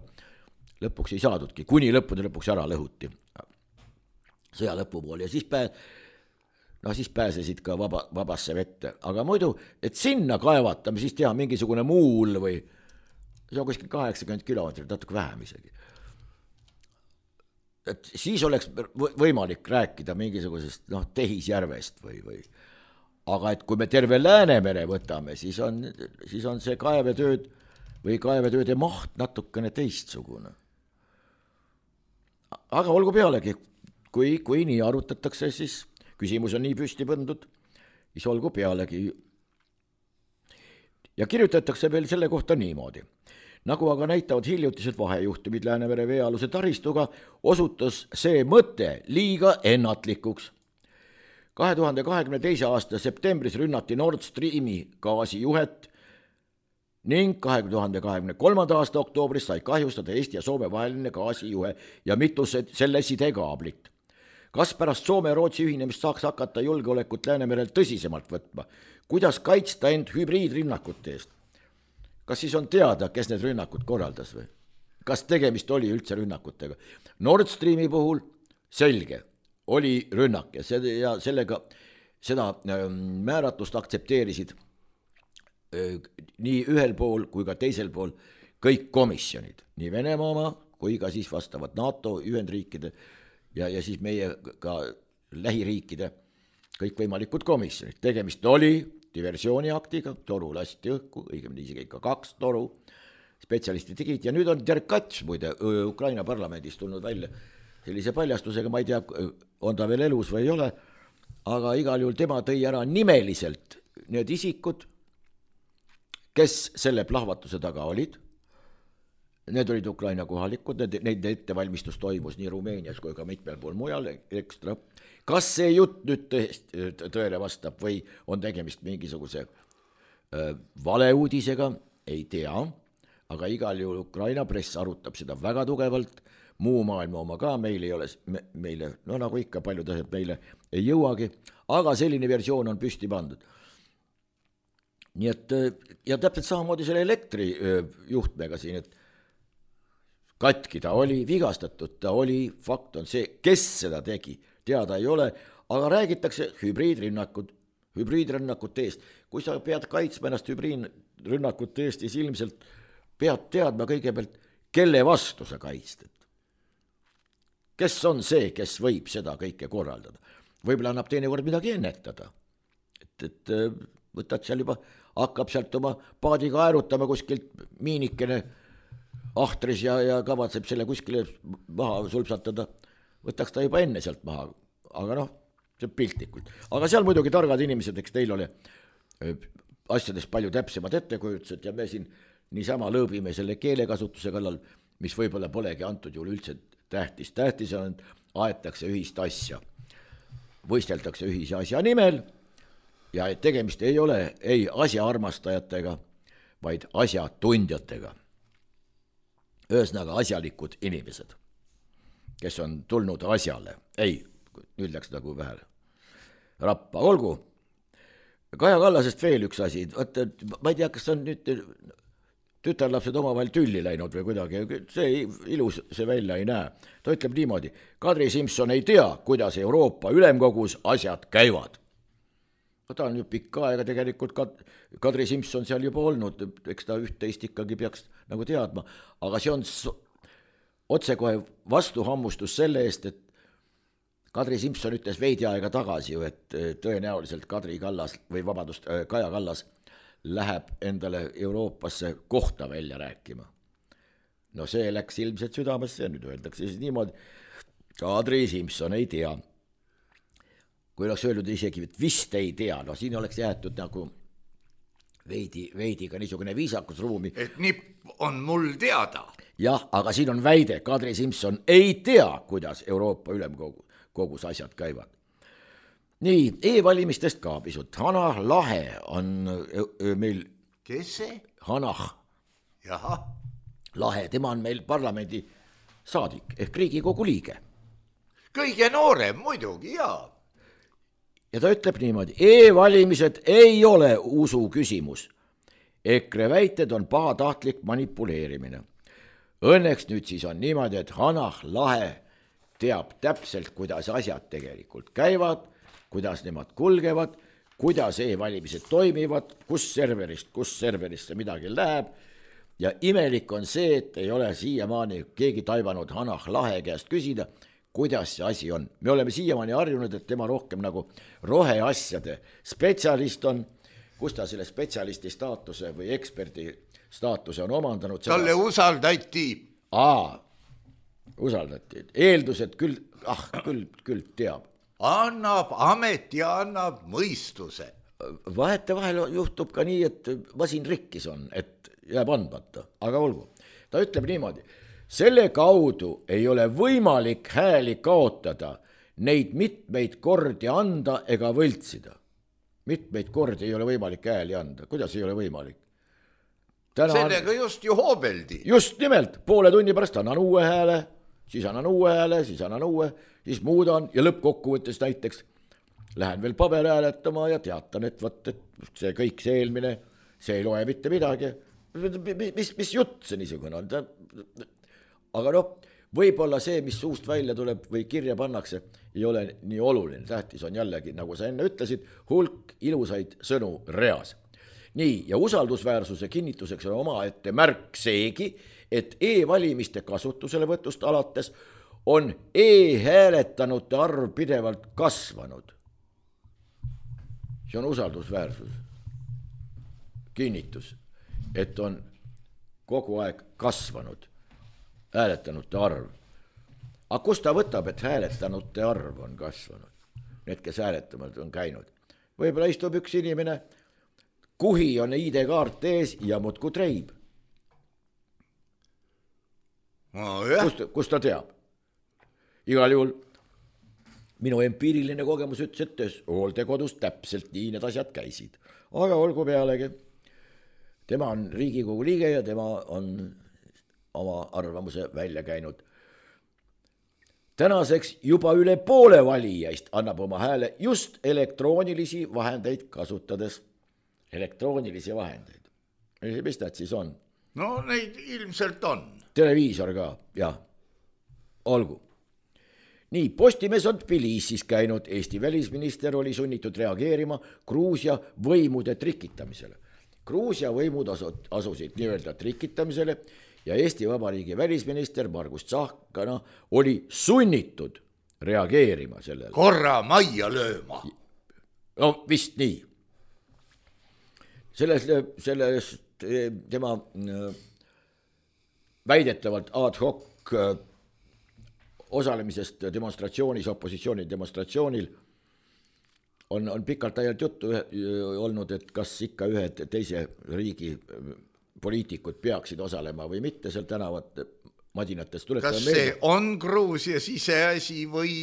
lõpuks ei saadudki, kuni lõppude lõpuks ära lõhuti sõja lõpupool ja siis, pää, no siis pääsesid ka vaba, vabasse vette. Aga muidu, et sinna kaevatame, siis teha mingisugune muul või see on kuskil kaheksakümmend kilomeetrit, natuke vähem isegi. Et siis oleks võimalik rääkida mingisugusest noh, tehisjärvest või, või. Aga et kui me terve Läänemere võtame, siis on, siis on see kaevetööd või kaevetööde maht natukene teistsugune. Aga olgu pealegi, kui, kui nii arutatakse, siis küsimus on nii püsti pandud, siis olgu pealegi. Ja kirjutatakse veel selle kohta niimoodi. Nagu aga näitavad hiljutised vahejuhtumid Läänemere veealuse taristuga, osutus see mõte liiga ennatlikuks. kahe tuhande kahekümne teise aasta septembris rünnati Nord Streami gaasijuhet ning kahe tuhande kahekümne kolmanda aasta oktoobris sai kahjustada Eesti ja Soome vaheline gaasijuhe ja mitu selle sidekaablit. Kas pärast Soome ja Rootsi ühinemist saaks hakata julgeolekut Läänemerel tõsisemalt võtma? Kuidas kaitsta end hübriidrünnakute eest? Kas siis on teada, kes need rünnakud korraldas või? Kas tegemist oli üldse rünnakutega? Nord Streami puhul selge, oli rünnak ja, see, ja sellega seda määratust aktsepteerisid nii ühel pool kui ka teisel pool kõik komisjonid, nii Venemaa oma kui ka siis vastavad NATO, Ühendriikide ja, ja siis meie ka lähiriikide kõikvõimalikud komisjonid. Tegemist oli diversiooniaktiga, toru lasti õhku, õigemini isegi ikka kaks toru, spetsialistid tegid ja nüüd on Derkats muide Ukraina parlamendis tulnud välja sellise paljastusega, ma ei tea, on ta veel elus või ei ole, aga igal juhul tema tõi ära nimeliselt need isikud, kes selle plahvatuse taga olid. Need olid Ukraina kohalikud, need, neid ettevalmistus toimus nii Rumeenias kui ka mitmel pool mujal ekstra. Kas see jutt nüüd tõesti tõele vastab või on tegemist mingisuguse äh, valeuudisega, ei tea, aga igal juhul Ukraina press arutab seda väga tugevalt, muu maailma oma ka, meil ei ole, me, meile, no nagu ikka paljud asjad meile ei jõuagi, aga selline versioon on püsti pandud. Nii et, ja täpselt samamoodi selle elektrijuhtmega siin, et katki ta oli, vigastatud ta oli, fakt on see, kes seda tegi, teada ei ole, aga räägitakse hübriidrünnakud, hübriidrünnakute eest. Kui sa pead kaitsma ennast hübriidrünnakute eest, siis ilmselt pead teadma kõigepealt, kelle vastu sa kaitstad. Kes on see, kes võib seda kõike korraldada? Võib-olla annab teinekord midagi ennetada. Et, et võtad seal juba, hakkab sealt oma paadiga aerutama kuskilt miinikene ahtris ja, ja kavatseb selle kuskile maha sulpsatada. Võtaks ta juba enne sealt maha, aga noh, see piltlikult. Aga seal muidugi targad inimesed, eks teil oli asjadest palju täpsemad ettekujutused ja me siin niisama lõõbime selle keelekasutuse kallal, mis võib-olla polegi antud juhul üldse tähtis. Tähtis on, aetakse ühist asja, võisteldakse ühise asja nimel ja tegemist ei ole ei asja armastajatega, vaid asjatundjatega. Ühesõnaga asjalikud inimesed, kes on tulnud asjale. Ei, nüüd läks nagu vähe rappa. Olgu, Kaja Kallasest veel üks asi. Vaata, ma ei tea, kas on nüüd tütarlapsed omavahel tülli läinud või kuidagi. See ilus see välja ei näe. Ta ütleb niimoodi, Kadri Simson ei tea, kuidas Euroopa Ülemkogus asjad käivad. Ta on ju pikka aega tegelikult Kadri Simson seal juba olnud, eks ta üht-teist ikkagi peaks nagu teadma, aga see on otsekohe vastuhammustus selle eest, et Kadri Simson ütles veidi aega tagasi ju, et tõenäoliselt Kadri Kallas või vabandust, Kaja Kallas läheb endale Euroopasse kohta välja rääkima. No see läks ilmselt südamesse ja nüüd öeldakse siis niimoodi, Kadri Simson ei tea. Kui oleks öelnud isegi, et vist ei tea, no siin oleks jäetud nagu veidi, veidi ka niisugune viisakusruumi. Et nipp on mul teada. Jah, aga siin on väide, Kadri Simson ei tea, kuidas Euroopa Ülemkogus asjad käivad. Nii, e-valimistest ka pisut. Hanah Lahe on öö, meil... Kes see? Hanah Jaha. Lahe, tema on meil parlamendi saadik ehk Riigikogu liige. Kõige noorem muidugi, jaa. Ja ta ütleb niimoodi, e-valimised ei ole usu küsimus. EKRE väited on pahatahtlik manipuleerimine. Õnneks nüüd siis on niimoodi, et Hanah Lahe teab täpselt, kuidas asjad tegelikult käivad, kuidas nemad kulgevad, kuidas e-valimised toimivad, kus serverist, kus serverisse midagi läheb. Ja imelik on see, et ei ole siiamaani keegi taibanud Hanah Lahe käest küsida, kuidas see asi on. Me oleme siiamaani harjunud, et tema rohkem nagu roheasjade spetsialist on, kus ta selle spetsialisti staatuse või eksperdi staatuse on omandanud. Talle seda... usaldati. Aa, usaldati. Eeldused küll, ah, küll, küll teab. Annab amet ja annab mõistuse. Vahete vahel juhtub ka nii, et masin rikkis on, et jääb andmata, aga olgu. Ta ütleb niimoodi, selle kaudu ei ole võimalik hääli kaotada, neid mitmeid kordi anda ega võltsida. Mitmeid kordi ei ole võimalik hääli anda. Kuidas ei ole võimalik? Täna sellega on... just ju hoobeldi. Just nimelt, poole tunni pärast annan uue hääle, siis annan uue hääle, siis annan uue, siis muudan ja lõppkokkuvõttes näiteks lähen veel paberhääletama ja teatan, et võt, et see kõik see eelmine, see ei loe mitte midagi. Mis, mis jutt see niisugune on? Aga noh, võib-olla see, mis suust välja tuleb või kirja pannakse, ei ole nii oluline. Tähtis on jällegi, nagu sa enne ütlesid, hulk ilusaid sõnu reas. nii, ja usaldusväärsuse kinnituseks on omaette märk seegi, et e-valimiste kasutuselevõtust alates on e-hääletanute arv pidevalt kasvanud. See on usaldusväärsus, kinnitus, et on kogu aeg kasvanud hääletanute arv. Aga kus ta võtab, et hääletanute arv on kasvanud? Need, kes hääletamad on käinud. Võib-olla istub üks inimene, kuhi on I D-kaart ees ja muudku treib. No, kust, kust ta teab? Igal juhul minu empiiriline kogemus ütles, et hooldekodus täpselt nii need asjad käisid. Aga olgu pealegi, tema on Riigikogu liige ja tema on oma arvamuse välja käinud. Tänaseks juba üle poole valijaist annab oma hääle just elektroonilisi vahendeid kasutades. Elektroonilisi vahendeid. Mis nad siis on? No neid ilmselt on. Televiisor ka, jah. Olgu. Nii, Postimees on Tbilisis käinud. Eesti välisminister oli sunnitud reageerima Gruusia võimude trikitamisele. Gruusia võimud asusid nii-öelda trikitamisele ja Eesti Vabariigi välisminister Margus Tsahkana oli sunnitud reageerima sellele. Korra majja lööma. No vist nii. Selles, selles tema väidetavalt ad hoc osalemisest demonstratsioonis, opositsiooni demonstratsioonil on, on pikalt ajalt juttu olnud, et kas ikka ühed teise riigi poliitikud peaksid osalema või mitte seal tänavat madinatest. Kas see meelde. On Gruusia siseasi või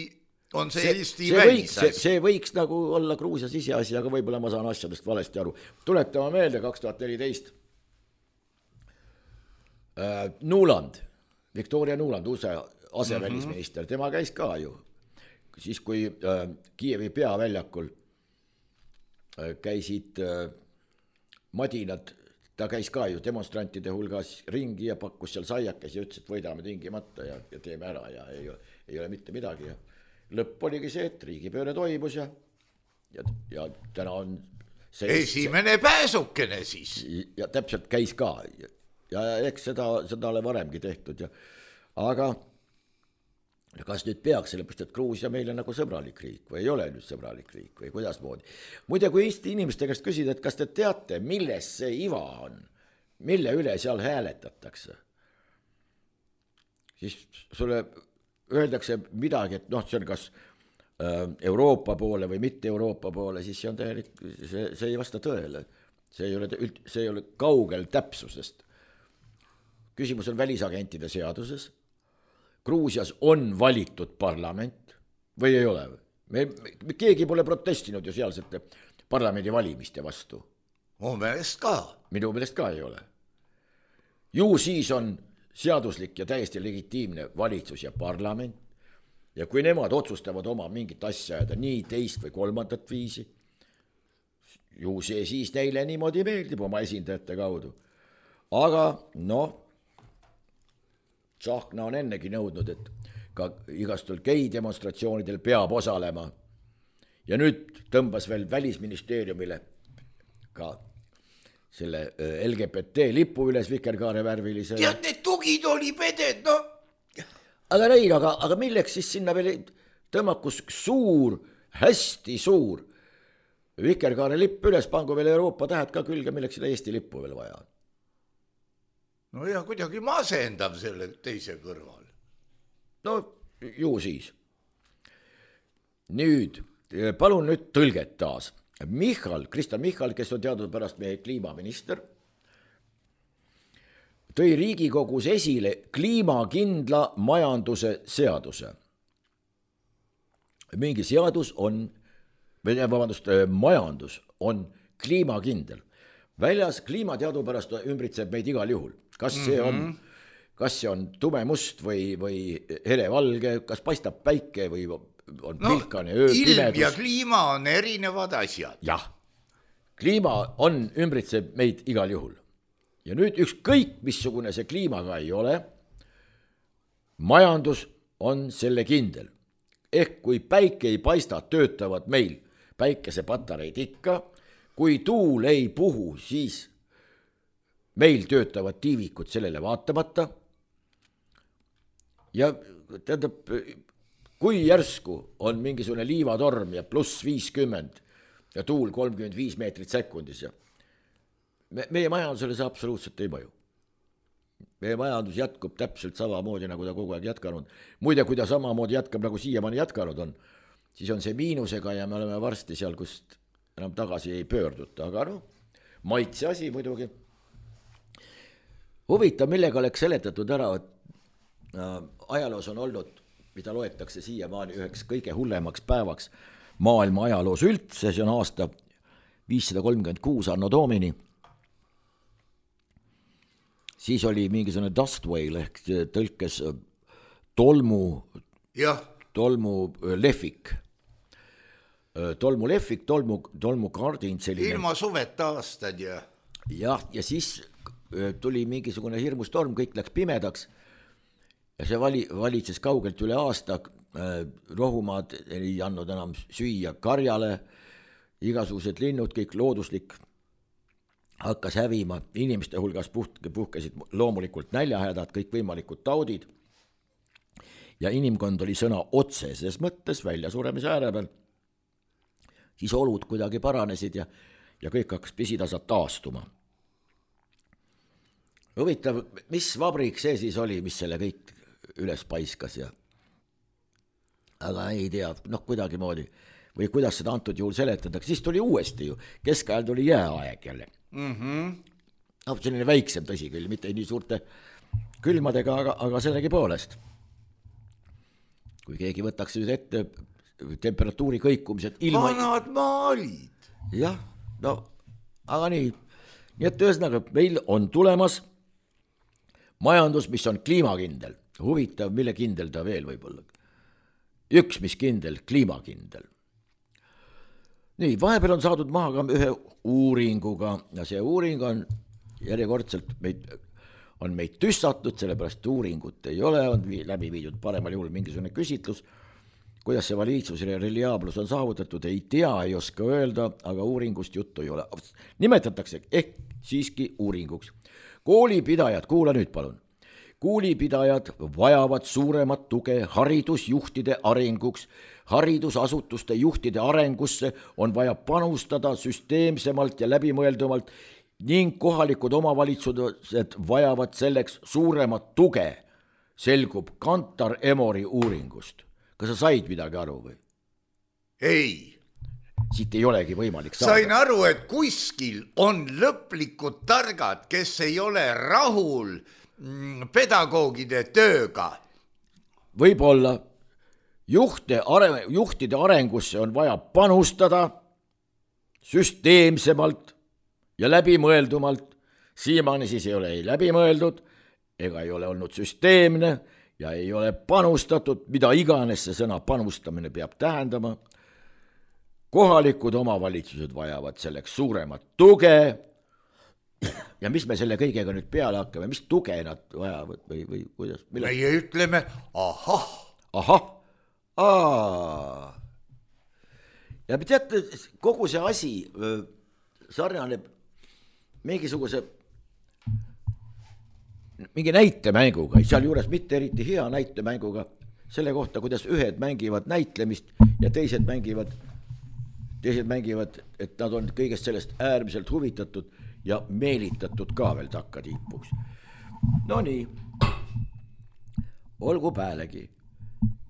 on see, see Eesti see välisasi? Võiks, see, see võiks nagu olla Gruusia siseasi, aga võib-olla ma saan asjadest valesti aru. Tuletama meelde kaks tuhat neliteist äh, Nuland, Victoria Nuland, uuse asevälisminister, tema käis ka ju. Siis kui äh, Kiievi peaväljakul äh, käisid äh, madinad, ta käis ka ju demonstrantide hulgas ringi ja pakkus seal saiakes ja ütles, et võidame tingimata ja, ja teeme ära ja ei, ei ole mitte midagi. Ja lõpp oligi see, et riigipööre toimus ja, ja, ja täna on see, esimene see, pääsukene siis. Ja täpselt käis ka ja, ja eks seda, seda ole varemgi tehtud. Ja, aga ja kas nüüd peaks, sellepärast, et Gruusia meile nagu sõbralik riik või ei ole nüüd sõbralik riik või kuidas moodi. Muide, kui Eesti inimeste käest küsida, et kas te teate, milles see iva on, mille üle seal hääletatakse, siis sulle öeldakse midagi, et noh, see on kas Euroopa poole või mitte Euroopa poole, siis see on täielik, see, see ei vasta tõele. See ei ole, see ei ole kaugel täpsusest. Küsimus on välisagentide seaduses. Gruusias on valitud parlament või ei ole? Me, me, keegi pole protestinud ju sealsete parlamendi valimiste vastu. Mu meelest ka. Minu meelest ka ei ole. Ju siis on seaduslik ja täiesti legitiimne valitsus ja parlament ja kui nemad otsustavad oma mingit asja ajada nii teist või kolmandat viisi, ju see siis neile niimoodi meeldib oma esindajate kaudu. Aga noh, Tsahkna on ennegi nõudnud, et ka igastul gei demonstratsioonidel peab osalema. Ja nüüd tõmbas veel välisministeeriumile ka selle L G B T lipu üles vikerkaare värvilise. Tead, need tugid oli peded, no. Aga neil, aga, aga milleks siis sinna veel tõmmakus suur, hästi suur vikerkaare lipp üles, pangu veel Euroopa tähed ka külge, milleks seda Eesti lippu veel vaja on. No ja kuidagi masendav selle teise kõrval. No ju siis. Nüüd, palun nüüd tõlget taas. Michal, Krista Michal, kes on teadnud pärast meie kliimaminister, tõi Riigikogus esile kliimakindla majanduse seaduse. Mingi seadus on, vabandust, majandus on kliimakindel. Väljas kliimateadupärast ümbritseb meid igal juhul. Kas see on, kas see on tumemust või, või helevalge, kas paistab päike või on no, pilkane öö, ilm pimedus. Ja kliima on erinevad asjad. Jah, kliima on ümbritseb meid igal juhul. Ja nüüd ükskõik, missugune see kliimaga ei ole, majandus on selle kindel. Ehk kui päike ei paista, töötavad meil päikesepatareid ikka, kui tuul ei puhu, siis meil töötavad tiivikud sellele vaatamata ja tähendab, kui järsku on mingisugune liivatorm ja pluss viiskümmend ja tuul kolmkümmend viis meetrit sekundis ja me, meie majandusele see absoluutselt ei mõju. Meie majandus jätkub täpselt samamoodi, nagu ta kogu aeg jätkanud. Muide, kui ta samamoodi jätkab, nagu siiamaani jätkanud on, siis on see miinusega ja me oleme varsti seal, kust enam tagasi ei pöörduta, aga noh, maitse asi muidugi. Huvitav, millega oleks seletatud ära, et äh, ajaloos on olnud, mida loetakse siiamaani üheks kõige hullemaks päevaks maailma ajaloos üldse, see on aasta viissada kolmkümmend kuus anno domini. Siis oli mingisugune dust whale ehk tõlkes tolmu, jah. tolmu lehvik. Tolmu lehvik, tolmu, tolmu kardin selline. Ilma suveta aastad ja. Jah, ja siis tuli mingisugune hirmus torm, kõik läks pimedaks ja see vali, valitses kaugelt üle aasta, rohumaad ei andnud enam süüa karjale, igasugused linnud, kõik looduslik hakkas hävima, inimeste hulgas puht, puhkesid loomulikult näljahädad, kõik võimalikud taudid ja inimkond oli sõna otseses mõttes välja suremise ääre peal. Siis olud kuidagi paranesid ja, ja kõik hakkas pisitasad taastuma. Huvitav, mis vabrik see siis oli, mis selle kõik üles paiskas ja aga ei tea, noh kuidagi moodi või kuidas seda antud juhul seletatakse, siis tuli uuesti ju, keskajal tuli jääaeg jälle. Mm-hmm. No, selline väiksem tõsi küll, mitte nii suurte külmadega, aga, aga sellegi poolest. Kui keegi võtaks nüüd ette temperatuuri kõikumised ilma... Vanad maalid. Jah, no, aga nii. Nii et ühesõnaga, meil on tulemas majandus, mis on kliimakindel. Huvitav, mille kindel ta veel võib olla. Üks, mis kindel, kliimakindel. Nii, vahepeal on saadud maha ka ühe uuringuga ja see uuring on järjekordselt meid, on meid tüssatud, sellepärast uuringut ei ole, on läbi viidud paremal juhul mingisugune küsitlus, kuidas see valitsus ja reliaablus on saavutatud, ei tea, ei oska öelda, aga uuringust juttu ei ole. Nimetatakse ehk siiski uuringuks. Koolipidajad, kuula nüüd palun. Koolipidajad vajavad suuremat tuge haridusjuhtide arenguks. Haridusasutuste juhtide arengusse on vaja panustada süsteemsemalt ja läbimõeldumalt ning kohalikud omavalitsused vajavad selleks suuremat tuge, selgub Kantar Emori uuringust. Kas sa said midagi aru või? Ei. Siit ei olegi võimalik saada. Sain aru, et kuskil on lõplikud targad, kes ei ole rahul pedagoogide tööga. Võib-olla juhte, are, juhtide arengusse on vaja panustada süsteemsemalt ja läbimõeldumalt. Siiamaani siis ei ole ei läbimõeldud ega ei ole olnud süsteemne ja ei ole panustatud, mida iganes see sõna panustamine peab tähendama. Kohalikud omavalitsused vajavad selleks suuremat tuge. Ja mis me selle kõigega nüüd peale hakkame, mis tuge nad vajavad või, või kuidas? Mille? Meie ütleme, ahah. Ahah, aa. Ja me teate, kogu see asi sarnaneb mingisuguse, mingi näitemänguga, seal juures mitte eriti hea näitemänguga, selle kohta, kuidas ühed mängivad näitlemist ja teised mängivad, teised mängivad, et nad on kõigest sellest äärmiselt huvitatud ja meelitatud ka veel takkatiipuks. No nii, olgu päälegi.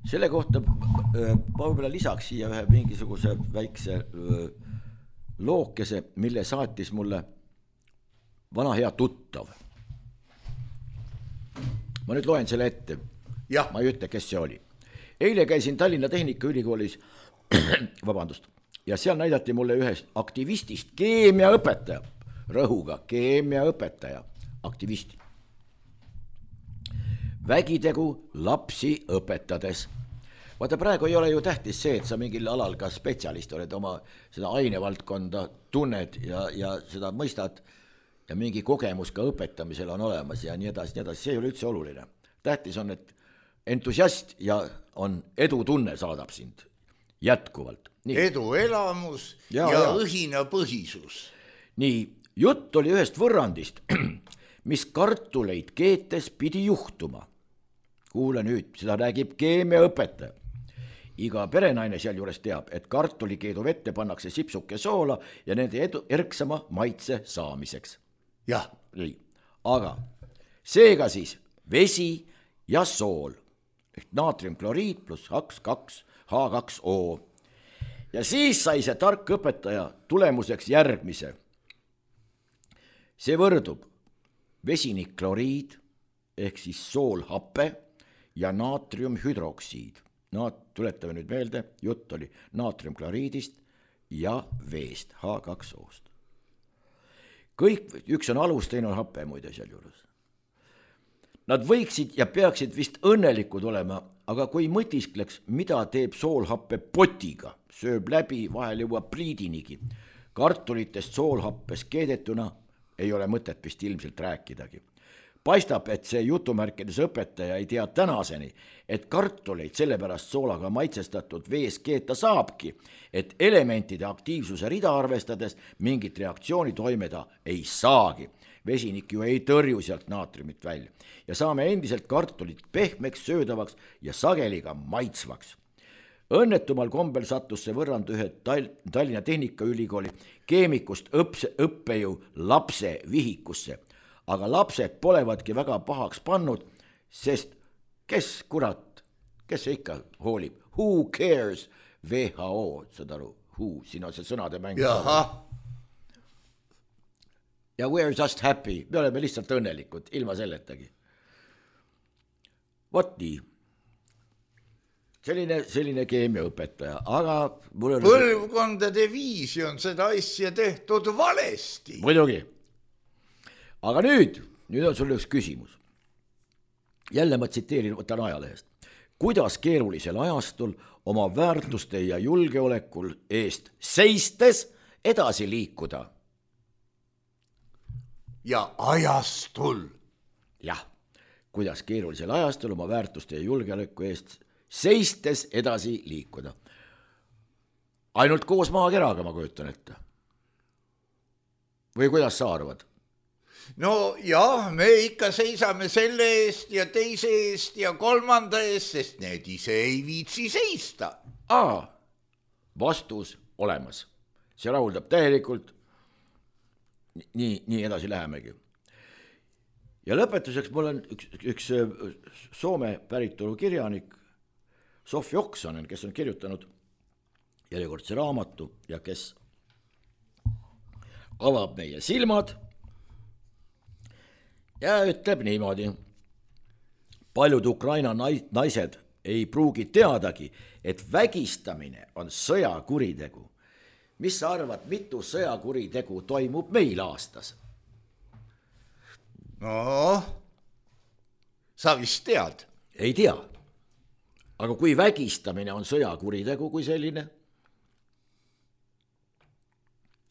Selle kohta ma võib-olla lisaks siia ühe mingisuguse väikse lookese, mille saatis mulle vana hea tuttav. Ma nüüd loen selle ette. Ja. Ma ei ütle, kes see oli. Eile käisin Tallinna Tehnikaülikoolis, vabandust, ja seal näidati mulle ühest aktivistist keemiaõpetaja. Rõhuga keemiaõpetaja, aktivisti. Vägitegu lapsi õpetades. Vaata, praegu ei ole ju tähtis see, et sa mingil alal ka spetsialist oled, oma seda ainevaldkonda tunned ja, ja seda mõistad ja mingi kogemus ka õpetamisel on olemas ja nii edasi, nii edasi. See ei ole üldse oluline. Tähtis on, et entusiast ja on edutunne saadab sind jätkuvalt. eduelamus ja, ja, ja õhinapõhisus. nii, jutt oli ühest võrrandist, mis kartuleid keetes pidi juhtuma. Kuule nüüd, seda räägib keemiaõpetaja. Iga perenaine sealjuures teab, et kartulikeedu vette pannakse sipsuke soola ja nende edu, erksama maitse saamiseks. jah. nii, aga seega siis vesi ja sool ehk naatriumkloriid pluss H kaks O. Ja siis sai see tark õpetaja tulemuseks järgmise. See võrdub vesinikkloriid ehk siis soolhappe ja naatriumhüdroksiid. Naat, tuletame nüüd meelde, jutt oli naatriumkloriidist ja veest, H kaks O-st. Kõik, üks on alus, teine on happe muide seal juures. Nad võiksid ja peaksid vist õnnelikud olema, aga kui mõtiskleks, mida teeb soolhappe potiga, sööb läbi, vahel jõuab pliidinigi. Kartulitest soolhappes keedetuna ei ole mõtet vist ilmselt rääkidagi. Paistab, et see jutumärkides õpetaja ei tea tänaseni, et kartuleid sellepärast soolaga maitsestatud vees keeta saabki, et elementide aktiivsuse rida arvestades mingit reaktsiooni toimeda ei saagi. Vesinik ju ei tõrju sealt naatriumit välja ja saame endiselt kartulit pehmeks, söödavaks ja sageli ka maitsvaks. Õnnetumal kombel sattus see võrrand ühe Tallinna Tehnikaülikooli keemikust õpse, õppejõu lapse vihikusse, aga lapsed polevadki väga pahaks pannud, sest kes kurat, kes see ikka hoolib, who cares, W H O, saad aru, who, siin on see sõnade mäng. Jaha. Ja we are just happy, me oleme lihtsalt õnnelikud, ilma selletagi. Vot nii. Selline, selline keemiaõpetaja, aga mul on... Põlvkondade viisi on seda asja tehtud valesti. Muidugi. Aga nüüd, nüüd on sul üks küsimus. Jälle ma tsiteerin, võtan ajalehest. Kuidas keerulisel ajastul oma väärtuste ja julgeolekul eest seistes edasi liikuda? Ja ajastul. Jah, kuidas keerulisel ajastul oma väärtuste ja julgeoleku eest seistes edasi liikuda. Ainult koos maakeraga ma kujutan ette. Või kuidas sa arvad? No jah, me ikka seisame selle eest ja teise eest ja kolmanda eest, sest need ise ei viitsi seista. Aa, vastus olemas. See rahuldab täielikult. Nii, nii edasi lähemegi. Ja lõpetuseks mul on üks, üks Soome päritolu kirjanik Sofi Oksanen, kes on kirjutanud järjekordse raamatu ja kes avab meie silmad ja ütleb niimoodi. Paljud Ukraina naised ei pruugi teadagi, et vägistamine on sõjakuritegu. Mis sa arvad, mitu sõjakuritegu toimub meil aastas? No, sa vist tead. Ei tea. Aga kui vägistamine on sõjakuritegu kui selline,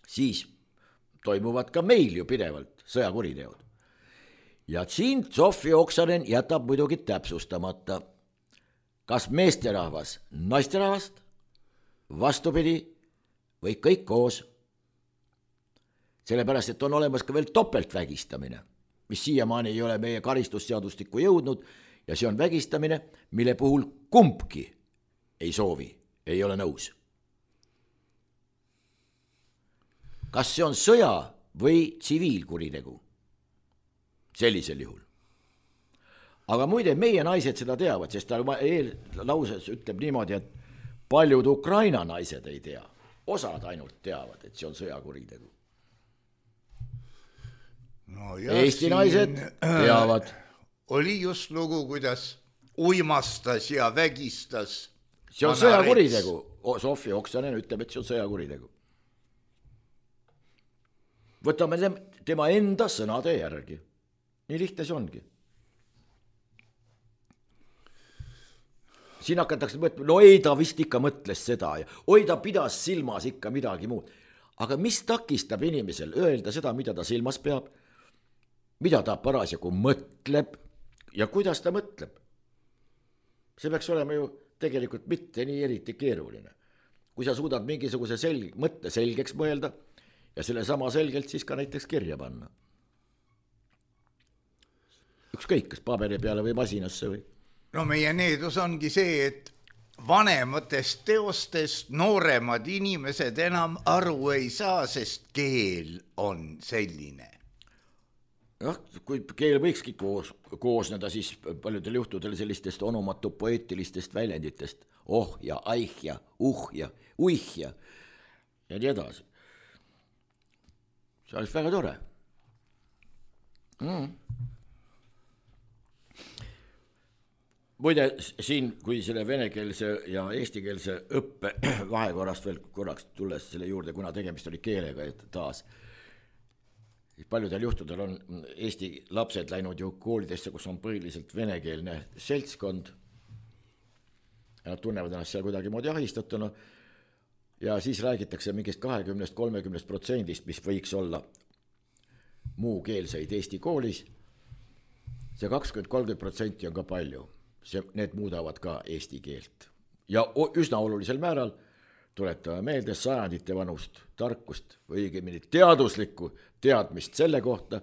siis toimuvad ka meil ju pidevalt sõjakuriteod. Ja siin Sofi Oksanen jätab muidugi täpsustamata, kas meesterahvas naisterahvast, vastupidi, või kõik koos. Sellepärast, et on olemas ka veel topeltvägistamine, mis siiamaani ei ole meie karistusseadustikku jõudnud ja see on vägistamine, mille puhul kumbki ei soovi, ei ole nõus. Kas see on sõja või tsiviilkuritegu? Sellisel juhul. Aga muide, meie naised seda teavad, sest ta lauses ütleb niimoodi, et paljud Ukraina naised ei tea. Osad ainult teavad, et see on sõjakuritegu. No Eesti naised teavad. Oli just lugu, kuidas uimastas ja vägistas. See on sõjakuritegu. Sofi Oksanen ütleb, et see on sõjakuritegu. Võtame tema enda sõnade järgi. Nii lihtne see ongi. Siin hakatakse mõtlema, no ei ta vist ikka mõtles seda ja oi ta pidas silmas ikka midagi muud. Aga mis takistab inimesel öelda seda, mida ta silmas peab, mida ta parasjagu mõtleb ja kuidas ta mõtleb? See peaks olema ju tegelikult mitte nii eriti keeruline. kui sa suudad mingisuguse selg, mõtte selgeks mõelda ja selle sama selgelt siis ka näiteks kirja panna. Ükskõik, kas paberi peale või masinasse või? No meie needus ongi see, et vanematest teostest nooremad inimesed enam aru ei saa, sest keel on selline. Jah, kui keel võikski koos, koosneda siis paljudel juhtudel sellistest onomatu poeetilistest väljenditest, oh ja aih ja uh ja uih ja ja nii edasi. See oleks väga tore. Mm. Muide, siin, kui selle venekeelse ja eestikeelse õppe vahekorrast veel korraks tulles selle juurde, kuna tegemist oli keelega taas, paljudel juhtudel on Eesti lapsed läinud ju koolidesse, kus on põhiliselt venekeelne seltskond ja nad tunnevad ennast seal kuidagi moodi ahistatuna ja siis räägitakse mingist kahekümnest kolmekümnest protsendist, mis võiks olla muukeelseid Eesti koolis. See kakskümmend kolmkümmend protsenti on ka palju. See, need muudavad ka eesti keelt ja üsna olulisel määral tuletame meelde sajandite vanust tarkust või õigemini teaduslikku teadmist selle kohta,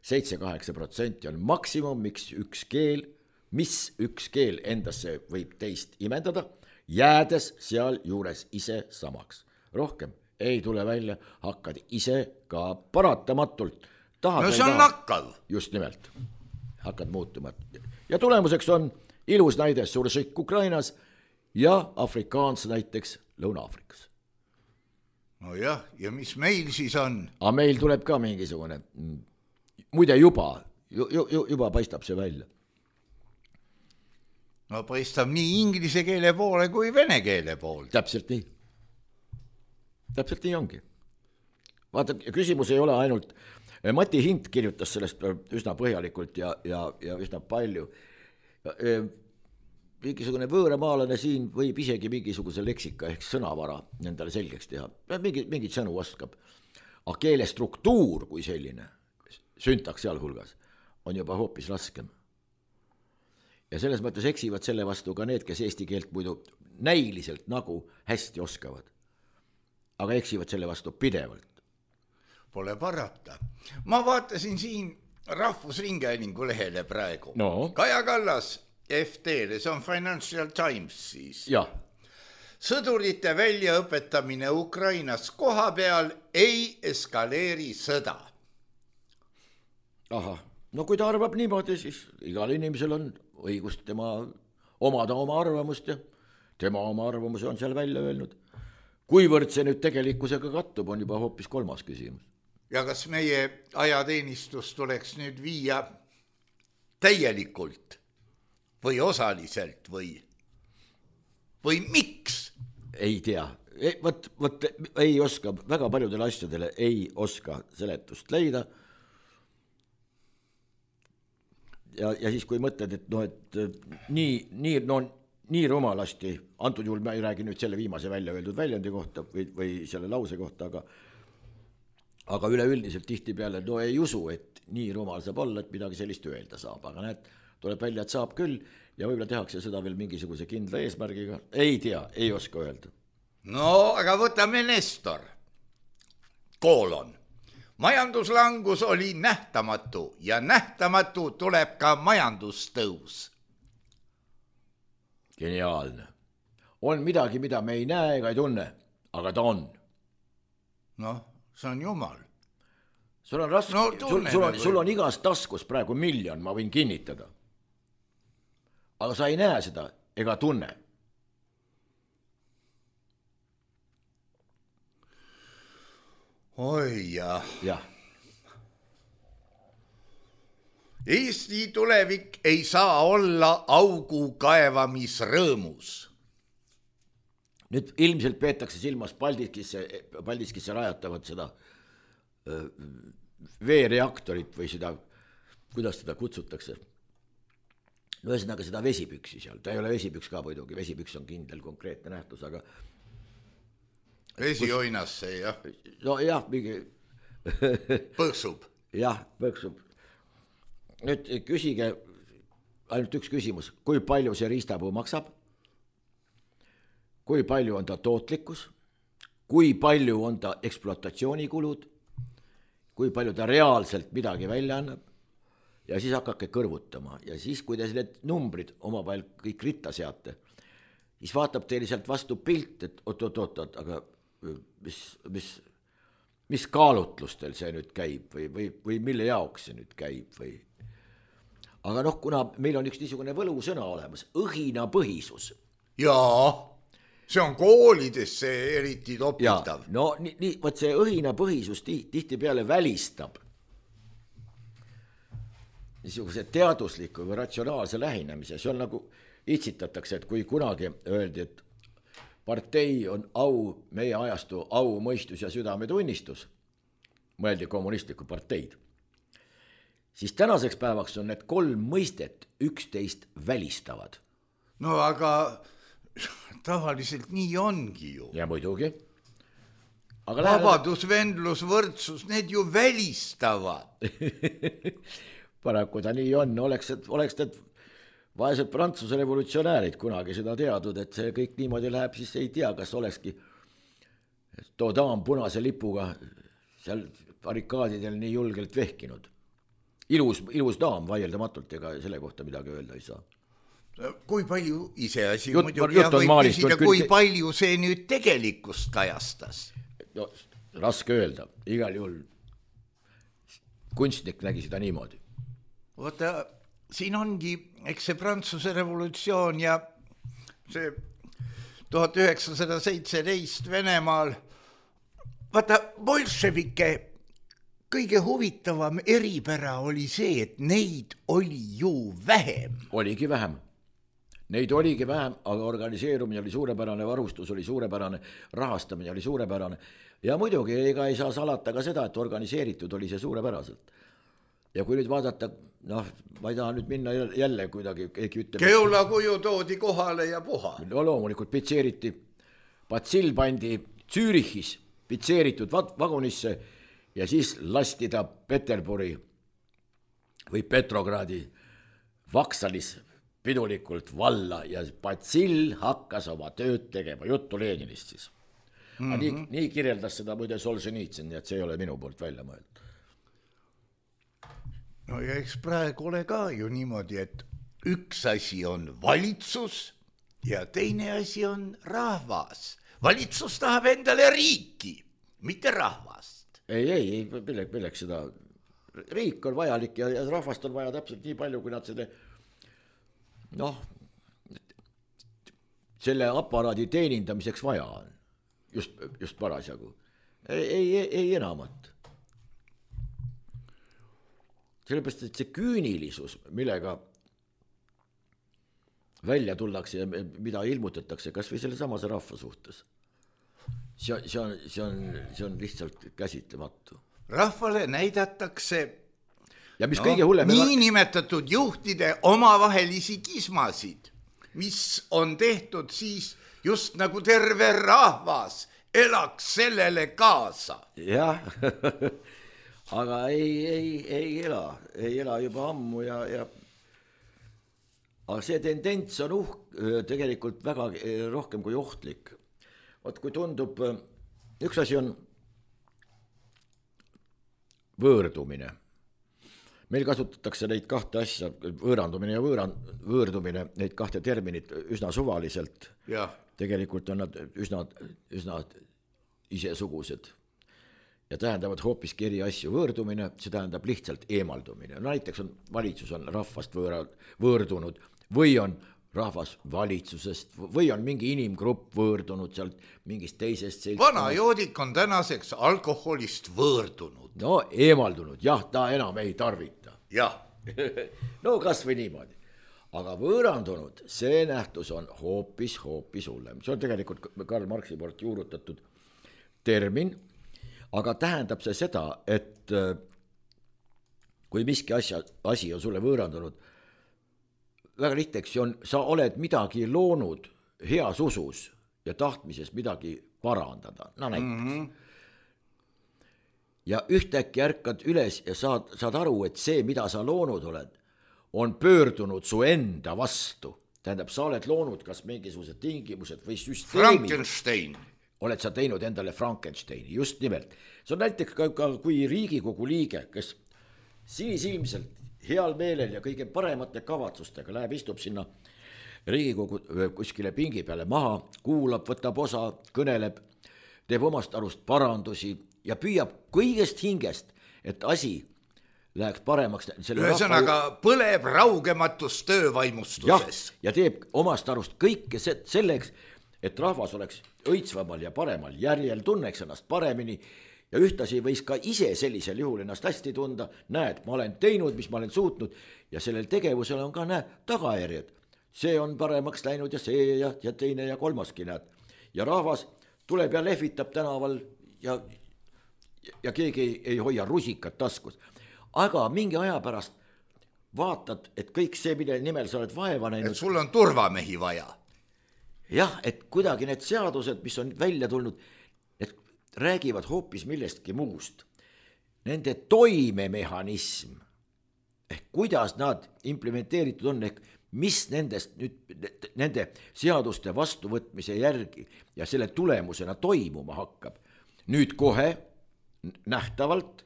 seitse kaheksa protsenti on maksimum, miks üks keel, mis üks keel endasse võib teist imendada, jäädes seal juures ise samaks. Rohkem ei tule välja, hakkad ise ka paratamatult. Tahad no see on nakkav. Just nimelt, hakkad muutuma. Ja tulemuseks on ilus näide Suršik Ukrainas ja afrikaans näiteks Lõuna-Aafrikas. No jah, ja mis meil siis on? Aga meil tuleb ka mingisugune, muide juba, ju, ju, juba paistab see välja. No paistab nii inglise keele poole kui vene keele poole. Täpselt nii. Täpselt nii ongi. Vaata, küsimus ei ole ainult, Mati Hint kirjutas sellest üsna põhjalikult ja, ja, ja üsna palju. Mingisugune võõramaalane siin võib isegi mingisuguse leksika ehk sõnavara nendele selgeks teha. Mingi, mingid sõnu oskab. Aga keele struktuur kui selline, süntaks seal hulgas, on juba hoopis raskem. Ja selles mõttes eksivad selle vastu ka need, kes eesti keelt muidu näiliselt nagu hästi oskavad. Aga eksivad selle vastu pidevalt. Pole parata. Ma vaatasin siin Rahvusringhäälingu lehele praegu. No. Kaja Kallas F T-le, see on Financial Times siis. Ja. Sõdurite väljaõpetamine Ukrainas koha peal ei eskaleeri sõda. Aha, no kui ta arvab niimoodi, siis igal inimesel on õigust tema omada oma arvamust ja tema oma arvamuse on seal välja öelnud. Kuivõrd see nüüd tegelikkusega kattub, on juba hoopis kolmas küsimus. Ja kas meie ajateenistus tuleks nüüd viia täielikult või osaliselt või, või miks? Ei tea, võt, võt, ei oska, väga paljudele asjadele ei oska seletust leida. Ja, ja siis kui mõtled, et, no, et nii, nii, no, nii rumalasti, antud juhul ma ei räägi nüüd selle viimase välja öeldud väljendi kohta või, või selle lause kohta, aga, aga üleüldiselt tihti peale, no ei usu, et nii rumal saab olla, et midagi sellist öelda saab, aga näed, tuleb välja, et saab küll ja võib-olla tehakse seda veel mingisuguse kindla eesmärgiga. Ei tea, ei oska öelda. No, aga võtame Nestor. Koolon. Majanduslangus oli nähtamatu ja nähtamatu tuleb ka majandustõus. Geniaalne. On midagi, mida me ei näe ega ei tunne, aga ta on. Noh, see on jumal. Sul on raske, no, sul, sul, on, sul on igas taskus praegu miljon, ma võin kinnitada. Aga sa ei näe seda ega tunne. Oi jah. Jah. Eesti tulevik ei saa olla augu kaevamisrõõmus. Nüüd ilmselt peetakse silmas Paldiskisse, Paldiskisse rajatavat seda veereaktorit või seda, kuidas seda kutsutakse. No ühesõnaga seda vesipüksi seal, ta ei ole vesipüks ka muidugi, vesipüks on kindel konkreetne nähtus, aga vesioinasse, jah. No jah, mingi põksub. Jah, põksub. Nüüd küsige ainult üks küsimus, kui palju see riistapuu maksab, kui palju on ta tootlikkus, kui palju on ta ekspluatatsioonikulud, kui palju ta reaalselt midagi välja annab ja siis hakake kõrvutama ja siis, kui te need numbrid omavahel kõik ritta seate, siis vaatab teile sealt vastu pilt, et oot-oot-oot, aga mis, mis, mis kaalutlustel see nüüd käib või, või, või mille jaoks see nüüd käib või. Aga noh, kuna meil on üks niisugune võlusõna olemas, õhinapõhisus. Jaa, see on koolidesse eriti topitav. Ja, no nii, nii, võt see õhinapõhisus tihti peale välistab niisuguse teadusliku või ratsionaalse lähenemise. See on nagu itsitatakse, et kui kunagi öeldi, et partei on au, meie ajastu au, mõistus ja südametunnistus, mõeldi kommunistlikku parteid, siis tänaseks päevaks on need kolm mõistet üksteist välistavad. No aga tavaliselt nii ongi ju. Ja muidugi. Aga vabadus, läheb... vendlus, võrdsus, need ju välistavad. Paraku ta nii on, oleks, oleks need vaesed Prantsuse revolutsionäärid kunagi seda teadnud, et see kõik niimoodi läheb, siis ei tea, kas olekski too daam punase lipuga seal barrikaadidel nii julgelt vehkinud. Ilus, ilus daam vaieldamatult, ega selle kohta midagi öelda ei saa. Kui palju ise asi Jut, muidugi ja võib maalist, küsida, küll... kui palju see nüüd tegelikkust kajastas? No, raske öelda, igal juhul kunstnik nägi seda niimoodi. Vaata, siin ongi, eks see Prantsuse revolutsioon ja see tuhat üheksasada seitseteist Venemaal, vaata, bolševike kõige huvitavam eripära oli see, et neid oli ju vähem. Oligi vähem. Neid oligi vähem, aga organiseerumine oli suurepärane, varustus oli suurepärane, rahastamine oli suurepärane. Ja muidugi ega ei saa salata ka seda, et organiseeritud oli see suurepäraselt. Ja kui nüüd vaadata, noh, ma ei taha nüüd minna jälle kuidagi, keegi ütleb... Keula kuju toodi kohale ja puha. No loomulikult pitseeriti, Batsill pandi Zürichis pitseeritud vagunisse ja siis lasti ta Peterburi või Petrogradi Vaksalis pidulikult valla ja Batsill hakkas oma tööd tegema, juttu Leninist siis. Mm-hmm. Nii, nii kirjeldas seda muide Solženitsyn, nii et see ei ole minu poolt välja mõeldud. No ja eks praegu ole ka ju niimoodi, et üks asi on valitsus ja teine asi on rahvas. Valitsus tahab endale riiki, mitte rahvast. Ei, ei, ei, milleks, milleks seda. Riik on vajalik ja, ja rahvast on vaja täpselt nii palju, kui nad selle, noh, selle aparaadi teenindamiseks vaja on. Just, just parasjagu. Ei, ei, ei, ei enamat. Sellepärast, et see küünilisus, millega välja tullakse ja mida ilmutatakse, kas või selle samase rahva suhtes, see, see, on, see, on, see on lihtsalt käsitlematu. Rahvale näidatakse ja mis no, kõige hullem, nii nimetatud juhtide omavahelisi kismasid, mis on tehtud siis just nagu terve rahvas elaks sellele kaasa. Jah, aga ei, ei, ei ela, ei ela juba ammu ja, ja aga see tendents on uh, tegelikult väga rohkem kui ohtlik. Vaat kui tundub, üks asi on võõrdumine. Meil kasutatakse neid kahte asja, võõrandumine ja võõran, võõrdumine, neid kahte terminit üsna suvaliselt. Ja. Tegelikult on nad üsna, üsna isesugused. Ja tähendavad hoopiski eri asju. Võõrdumine, see tähendab lihtsalt eemaldumine. No näiteks on valitsus on rahvast võõra, võõrdunud või on rahvas valitsusest või on mingi inimgrupp võõrdunud sealt mingist teisest seltskonnast. Vana joodik on tänaseks alkoholist võõrdunud. No eemaldunud, jah, ta enam ei tarvita. Jah. No kas või niimoodi. Aga võõrandunud, see nähtus on hoopis, hoopis hullem. See on tegelikult Karl Marxi poolt juurutatud termin, aga tähendab see seda, et kui miski asja, asi on sulle võõrandunud, väga lihteks on, sa oled midagi loonud heas usus ja tahtmises midagi parandada. No näiteks. Mm-hmm. Ja ühtäkki ärkad üles ja saad, saad aru, et see, mida sa loonud oled, on pöördunud su enda vastu tähendab, sa oled loonud kas mingisugused tingimused või süsteemi. Frankenstein. Oled sa teinud endale Frankensteini, just nimelt. See on näiteks ka, ka kui Riigikogu liige, kes sinisilmselt heal meelel ja kõige paremate kavatsustega läheb, istub sinna Riigikogu kuskile pingi peale maha, kuulab, võtab osa, kõneleb, teeb omast arust parandusi ja püüab kõigest hingest, et asi läheks paremaks. Ühesõnaga rahva... põleb raugematus töövaimustuses. Ja, ja teeb omast arust kõike selleks, et rahvas oleks õitsvamal ja paremal järjel, tunneks ennast paremini ja ühtasi võis ka ise sellisel juhul ennast hästi tunda. Näed, ma olen teinud, mis ma olen suutnud ja sellel tegevusel on ka näed, tagajärjed. See on paremaks läinud ja see ja, ja teine ja kolmaski näed. Ja rahvas tuleb ja lehvitab tänaval ja, ja keegi ei, ei hoia rusikat taskus. Aga mingi aja pärast vaatad, et kõik see, mille nimel sa oled vaeva näinud. Et sul on turvamehi vaja. Jah, et kuidagi need seadused, mis on välja tulnud, et räägivad hoopis millestki muust. Nende toimemehhanism, ehk kuidas nad implementeeritud on, ehk mis nendest nüüd, nende seaduste vastuvõtmise järgi ja selle tulemusena toimuma hakkab. Nüüd kohe nähtavalt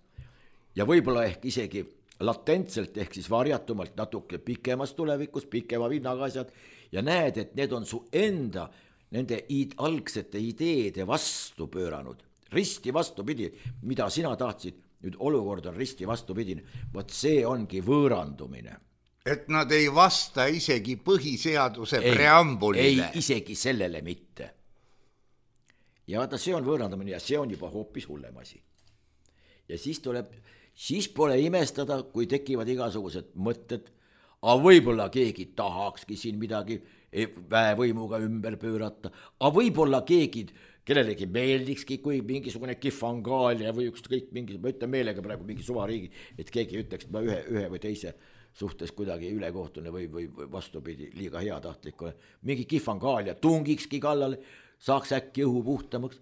ja võib-olla ehk isegi latentselt ehk siis varjatumalt natuke pikemas tulevikus, pikema vinnaga asjad ja näed, et need on su enda nende id, algsete ideede vastu pööranud. Risti vastupidi, mida sina tahtsid, nüüd olukord on risti vastupidine. Vot see ongi võõrandumine. Et nad ei vasta isegi põhiseaduse ei, preambulile. Ei, isegi sellele mitte. Ja vaata, see on võõrandumine ja see on juba hoopis hullem asi. Ja siis tuleb, siis pole imestada, kui tekivad igasugused mõtted, aga võib-olla keegi tahakski siin midagi väevõimuga ümber pöörata, aga võib-olla keegi, kellelegi meeldikski, kui mingisugune kifangaalia või ükskõik mingi, ma ütlen meelega praegu mingi suvariigi, et keegi ütleks, et ma ühe, ühe või teise suhtes kuidagi ülekohtune või, või vastupidi liiga heatahtlikule. Mingi kifangaalia tungikski kallale, saaks äkki õhu puhtamaks.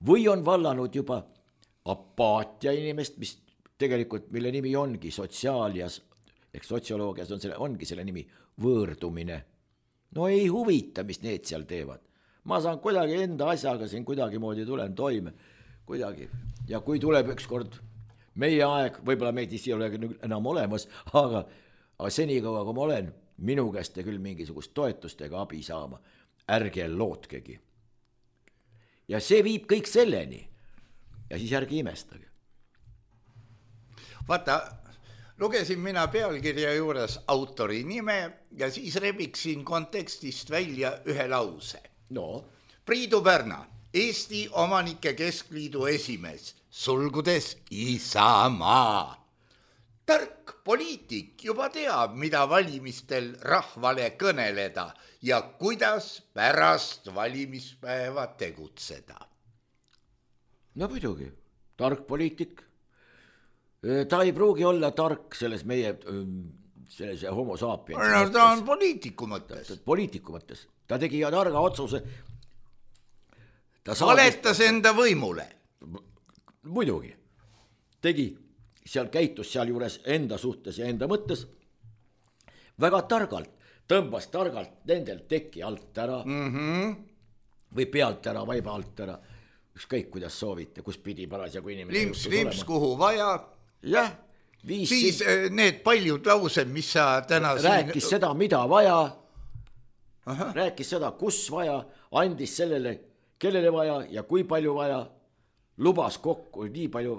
Või on vallanud juba apaatia inimest, mis tegelikult, mille nimi ongi sotsiaalias, ehk sotsioloogias on selle, ongi selle nimi võõrdumine. No ei huvita, mis need seal teevad. Ma saan kuidagi enda asjaga siin kuidagi moodi tulen toime. Kuidagi. Ja kui tuleb üks kord meie aeg, võib-olla meid isi ei ole enam olemas, aga, aga senikaua, kui ma olen, minu käest te küll mingisugust toetust ega abi saama. Ärge lootkegi. Ja see viib kõik selleni. Ja siis ärge imestage. Vaata, lugesin mina pealkirja juures autori nime ja siis rebiksin kontekstist välja ühe lause. No. Priidu Pärna, Eesti Omanike Keskliidu esimees, sulgudes Isamaa. Tark poliitik juba teab, mida valimistel rahvale kõneleda ja kuidas pärast valimispäeva tegutseda. No muidugi, tark poliitik. Ta ei pruugi olla tark selles meie selles homo sapiens. No, ta on poliitiku mõttes. Poliitiku mõttes. Ta tegi targa otsuse. Ta valetas enda võimule. Muidugi. Tegi, seal käitus seal juures enda suhtes ja enda mõttes. Väga targalt, tõmbas targalt nendel teki alt ära. Mm-hmm. Või pealt ära, vaiba alt ära. Ükskõik, kuidas soovite, kus pidi parasjagu inimene. Limps, limps, kuhu vaja. Jah. Viis siis siin... need paljud laused, mis sa täna rääkis siin... seda, mida vaja. Aha. Rääkis seda, kus vaja. Andis sellele, kellele vaja ja kui palju vaja. Lubas kokku nii palju,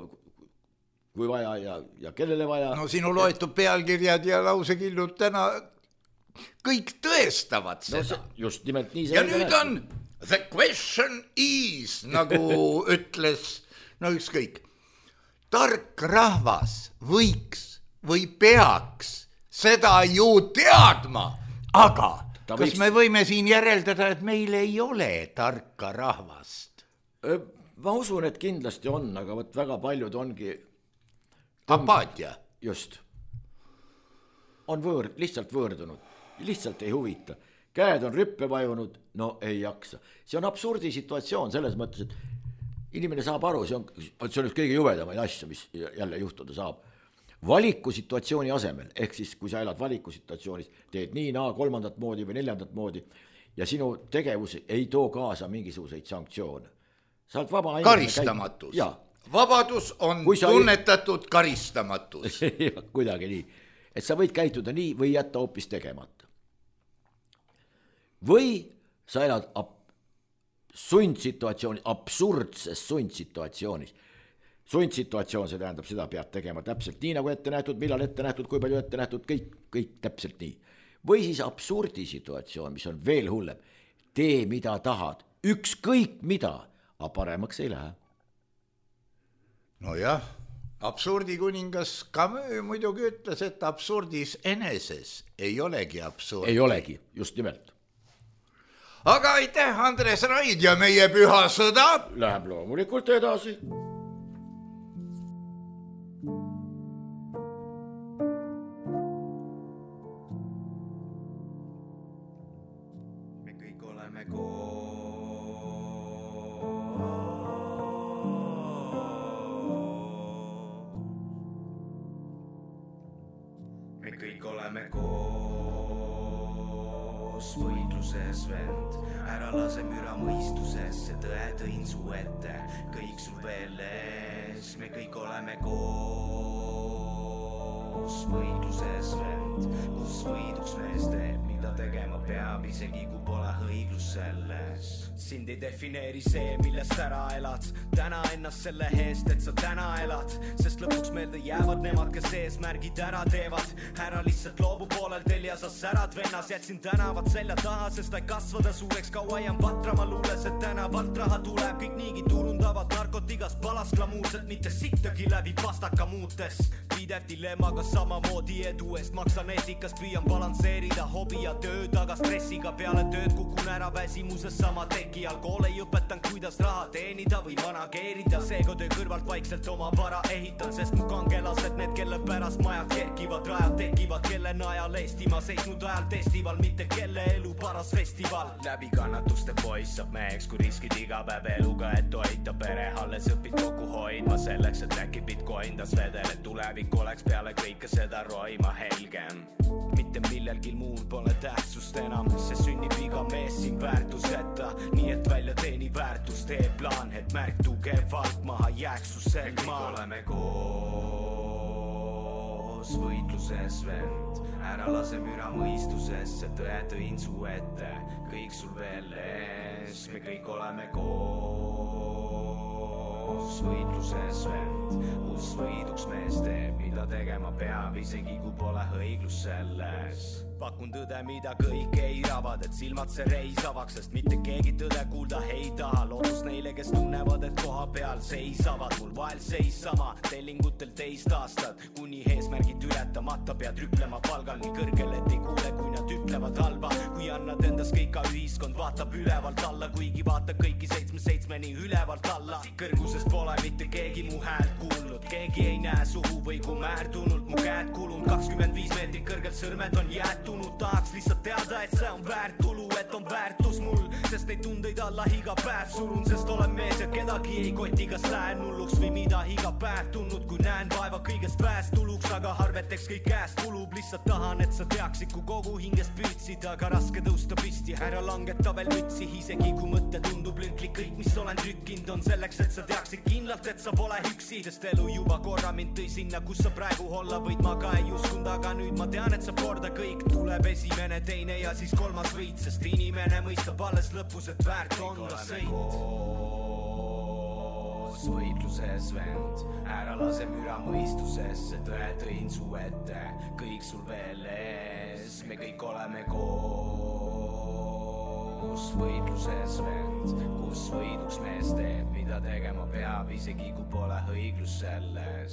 kui vaja ja, ja kellele vaja. No sinu loetud pealkirjad ja lausekillud täna kõik tõestavad seda. No, see, just nimelt nii. Ja nüüd on the question is, nagu ütles, no ükskõik. Tark rahvas võiks või peaks seda ju teadma, aga ta kas võiks... me võime siin järeldada, et meil ei ole tarka rahvast? Ma usun, et kindlasti on, aga võt väga paljud ongi... Apaatia. Just. On võõrd, lihtsalt võõrdunud, lihtsalt ei huvita. Käed on rüppe vajunud, no ei jaksa. See on absurdi situatsioon selles mõttes, et inimene saab aru, see on, see on üks kõige juvedamaid asju, mis jälle juhtuda saab. valikusituatsiooni asemel, ehk siis kui sa elad valikusituatsioonis, teed nii, naa, kolmandat moodi või neljandat moodi ja sinu tegevus ei too kaasa mingisuguseid sanktsioone. Sa oled vaba karistamatus. Vabadus on sa... tunnetatud karistamatus. Kuidagi nii, et sa võid käituda nii või jätta hoopis tegemata. Või sa elad ab- sundsituatsioonis, absurdses sundsituatsioonis. Sundsituatsioon, see tähendab, seda pead tegema täpselt nii, nagu ette nähtud, millal ette nähtud, kui palju ette nähtud, kõik, kõik täpselt nii. Või siis absurdisituatsioon, mis on veel hullem. Tee, mida tahad, ükskõik mida, aga paremaks ei lähe. No jah, absurdi kuningas Camus muidugi ütles, et absurdis eneses ei olegi absurdi. Ei olegi, just nimelt. Aga aitäh, Andres Raid ja meie püha sõda. Läheb loomulikult edasi. Me kõik oleme koos. Me kõik oleme koos võitluses, vend. Ära lase müra mõistusesse, tõe tõin su ette, kõik sul veel ees. Me kõik oleme koos võitluses, vend. Kus võiduks mees teeb, mida tegema peab, isegi kui pole õiglus selles. Sind ei defineeri see, millest ära elad. Täna ennast selle eest, et sa täna elad, sest lõpuks meelde jäävad nemad, kes eesmärgid ära teevad. Ära lihtsalt loobu poolel tel ja sa särad vennas. Jätsin tänavad selja taha, sest ei kasvada suureks kaua jään vatra. Ma luules, et tänavalt raha tuleb, kõik niigi turundavad narkotigas palas glamuurselt, mitte sittagi läbi pastaka muutes. Pidev dilemmaga samamoodi edu eest maksan eetikas, püüan balansseerida hobi ja tööd, aga stressiga peale tööd kukun ära väsimuses sama teki. Alkool ei õpetan, kuidas raha teenida või manageerida, seega töö kõrvalt vaikselt oma vara ehitan, sest mu kangelased, need kelle pärast majad kerkivad, rajad tekivad, kelle najal Eestimaa seisnud ajal testival, mitte kelle elu paras festival. Läbi kannatuste poiss saab meheks, kui riskid iga päev eluga, et toita pere, alles õpid kokku hoidma selleks, et äkki bitcoin tas vedel, et tulevik oleks peale kõike seda roima helgem. Mitte millelgi muul pole tähtsust enam, see sünnib iga mees siin väärtuseta, nii et välja teeni väärtus, tee plaan, et märk tugevalt maha jääks su selg maa. Me kõik oleme koos võitluses, vend. Ära lase müra mõistusesse, tõe tõin su ette, kõik sul veel ees. Me kõik oleme koos võitluses, vend. Kus võiduks mees teeb, mida tegema peab, isegi kui pole õiglus selles. Pakun tõde, mida kõik eiravad, et silmad see reisavaks, sest mitte keegi tõde kuulda ei taha. Loodus neile, kes tunnevad, et koha peal seisavad, mul vahel seis sama, tellingutel teist aastat, kuni eesmärgid ületamata pead rüplema palgal nii kõrgel, et ei kuule, kui nad ütlevad halba. Kui annad endas kõik, ka ühiskond vaatab ülevalt alla, kuigi vaata kõiki seitsme seitsmeni ülevalt alla. Kõrgusest pole mitte keegi mu häält kuulnud, keegi ei näe suhu või kui määrtunult mu käed kulun. kakskümmend viis meetrit kõrgelt sõrmed on jäetud, tahaks lihtsalt teada, et see on väärt tulu, et on väärtus mul, sest neid tundeid alla iga päev surun, sest olen mees ja kedagi ei koti, kas lähen hulluks või mida iga päev tundnud, kui näen vaeva kõigest väest tuluks, aga harveteks kõik käest kulub, lihtsalt tahan, et sa teaksid, kui kogu hingest püütsid, aga raske tõusta pisti, ära langeta veel mütsi, isegi kui mõte tundub lünklik, kõik mis olen trükkinud on selleks, et sa teaksid kindlalt, et sa pole üksi, sest elu juba korra mind tõi sinna, kus sa praegu olla võid, ma ka ei uskund, aga nüüd ma tean, et sa korda kõik tuleb esimene, teine ja siis kolmas võit, sest inimene mõistab alles lõpus, et väärt on ta sõit. Koos võitluses, vend. Ära lase müra mõistusesse, tõe tõin su ette, kõik sul veel ees. Me kõik oleme koos võitluses, vend. Kus võiduks mees teeb, mida tegema peab, isegi kui pole õiglus selles.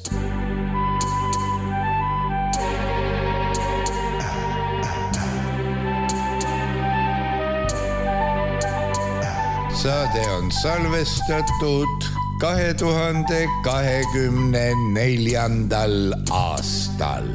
Saade on salvestatud kahe tuhande kahekümne neljandal aastal.